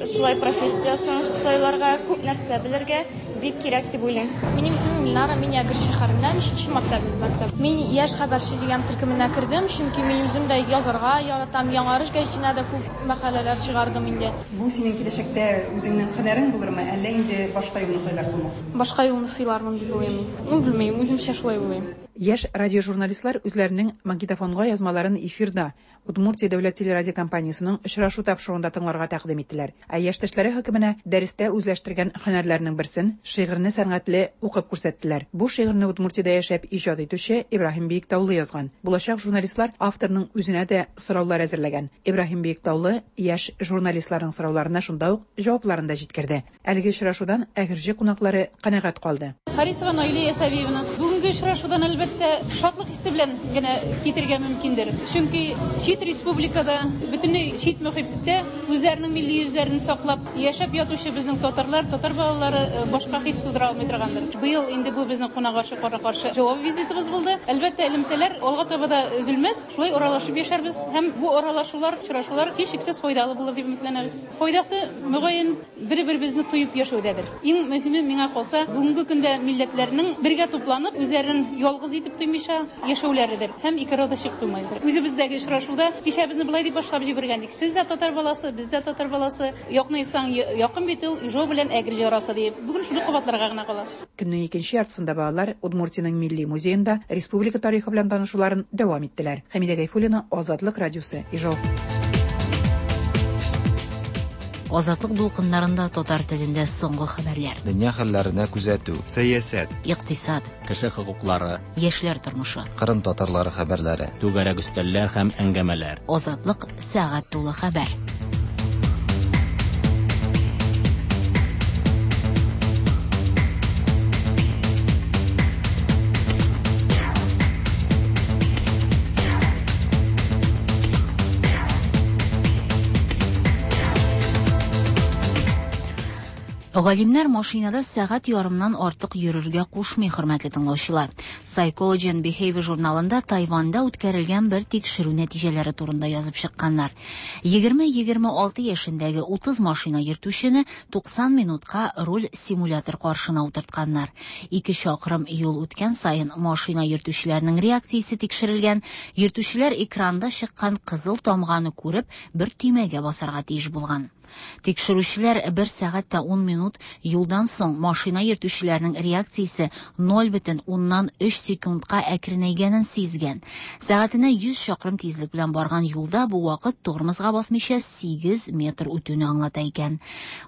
шулай профессиясын сайларга, күп нәрсә белергә бик кирәк дип уйлыйм. Минем исемем Ленара, мин Әгерҗе шәһәреннән, өченче мәктәп мәктәп. Мин яшь хәбәрче дигән төркеменә кердем, чөнки мин үзем дә язарга яратам. Яңарыш гәҗитенә дә күп мәкаләләр чыгардым инде. Бу синең киләчәктә үзеңнең һөнәрең булырмы, әллә инде башка юлны сайларсыңмы? Башка юлны сайлармын дип уйлыйм мин. Ну, белмим, үземчә шулай уйлыйм. Яшь радиожурналистлар үзләренең магнитофонга язмаларын эфирда Удмуртия дәүләт телерадиокомпаниясенең очрашу тапшыруында тыңларга тәкъдим иттеләр. Ә яшьтәшләре хөкеменә дәрестә үзләштергән һөнәрләренең берсен шигырьне сәнгатьле укып күрсәттеләр. Бу шигырьне Удмуртиядә яшәп иҗат итүче Ибраһим Биектаулы язган. Булачак журналистлар авторның үзенә дә сораулар әзерләгән. Ибраһим Биектаулы яшь журналистларның сорауларына шунда ук җавапларын да җиткерде. Әлеге очрашудан Әгерҗе кунаклары канәгать калды. Харисова Наилә Ясавиевна, бүгенге очрашудан әлбәттә шатлык хисе белән генә китергә мөмкиндер. Чөнки чит республикада, бөтенләй чит мөхиттә үзләренең милли йөзләрен саклап яшәп ятучы безнең татарлар, татар балалары башка хис тудыра алмый торгандыр. Быел инде бу безнең кунакка каршы җавап визитыбыз булды. Әлбәттә, элемтәләр алга таба да өзелмәс, шулай аралашып яшәрбез һәм бу аралашулар, очрашулар һичшиксез файдалы булыр дип өметләнәбез. Файдасы мөгаен бер-беребезне тоеп яшәүдәдер. Иң мөһиме миңа калса, бүгенге көндә милләтләрнең бергә тупланып, үзләрен ялгыз итеп тоймыйча яшәүләредер һәм ике арада чик куймайдыр. Үзебездәге очрашуда кичәбезне болай дип башлап җибәргән идек. Сез дә татар баласы, без дә татар баласы. Якын әйтсәң, якын бит ул Ижау белән Әгерҗе арасы дип. Бүген шуны кабатларга гына кала. Көннең икенче яртысында балалар Удмуртиянең милли музеенда республика тарихы белән танышуларын дәвам иттеләр. Хәмидә Гайфуллина, Азатлык радиосы, Ижау. Азатлык дулкыннарында татар телендә соңгы хәбәрләр. Дөнья хәлләренә күзәтү, сәясәт, икътисад, кеше хокуклары, яшьләр тормышы, Кырым татарлары хәбәрләре, түгәрәк өстәлләр һәм әңгәмәләр. Азатлык сәгать тулы хәбәр. Галимнәр машинада сәгать ярымнан артык йөрергә кушмый, хөрмәтле тыңлаучылар. Psychology and Behavior журналында Тайванда үткәрелгән бер тикшерү нәтиҗәләре турында язып чыкканнар. егерме-егерме алты яшендәге утыз машина йөртүчене туксан минутка руль симулятор каршына утыртканнар. Ике чакрым юл үткән саен машина йөртүчеләрнең реакциясе тикшерелгән. Йөртүчеләр экранда чыккан кызыл тамганы күреп, бер төймәгә басарга тиеш булган. Тикшерүчеләр бер сәгать тә ун минут юлдан соң машина йөртүчеләрнең реакциясе ноль бөтен уннан өч секундка әкренәйгәнен сизгән. Сәгатенә йөз чакрым тизлек белән барган юлда бу вакыт тормозга басмыйча сигез метр үтүне аңлата икән.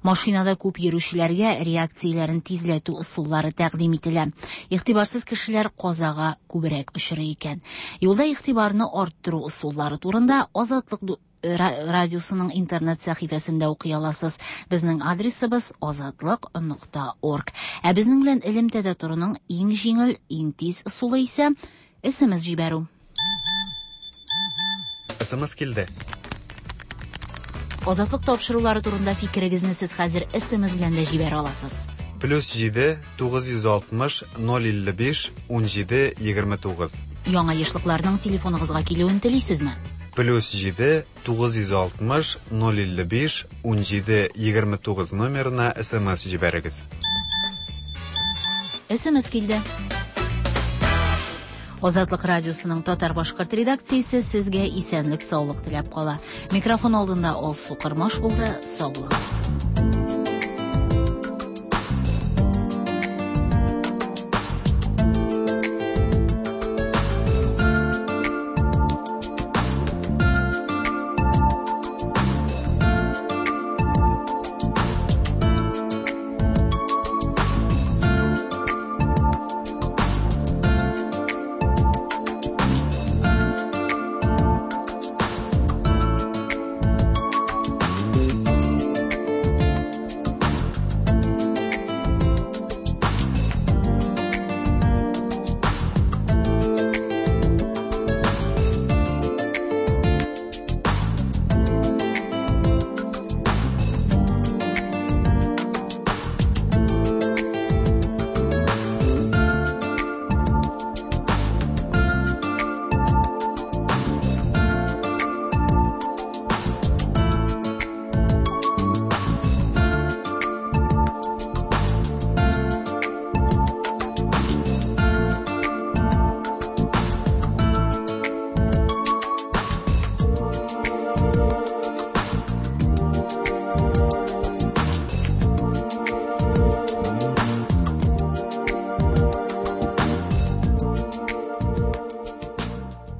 Машинада күп йөрүчеләргә реакцияләрен тизләтү ысуллары тәкъдим ителә. Игътибарсыз кешеләр казага күбрәк очрый икән. Юлда игътибарны арттыру ысуллары турында Азатлык радиосының интернет сәхифәсендә укый аласыз. Безнең адресыбыз азатлык нокта орг. Ә безнең белән элемтәдә торуның иң җиңел, иң тиз ысулы исә эс эм эс җибәрү. эс эм эс килде. Азатлык тапшырулары турында фикерегезне сез хәзер эс эм эс белән дә җибәрә аласыз. Плюс җиде, тугыз йөз алтмыш, ноль илле биш, ун җиде, егерме тугыз. Яңа ешлыкларның телефоныгызга килүен телисезме? Плюс җиде тугыз йөз алтмыш ноль илле биш унҗиде егерме тугыз номерына СМС җибәрегез. СМС килде. Азатлык радиосының татар-башкорт редакциясе сезгә исәнлек, саулык теләп кала. Микрофон алдында Алсу Кырмаш булды. Сау булыгыз.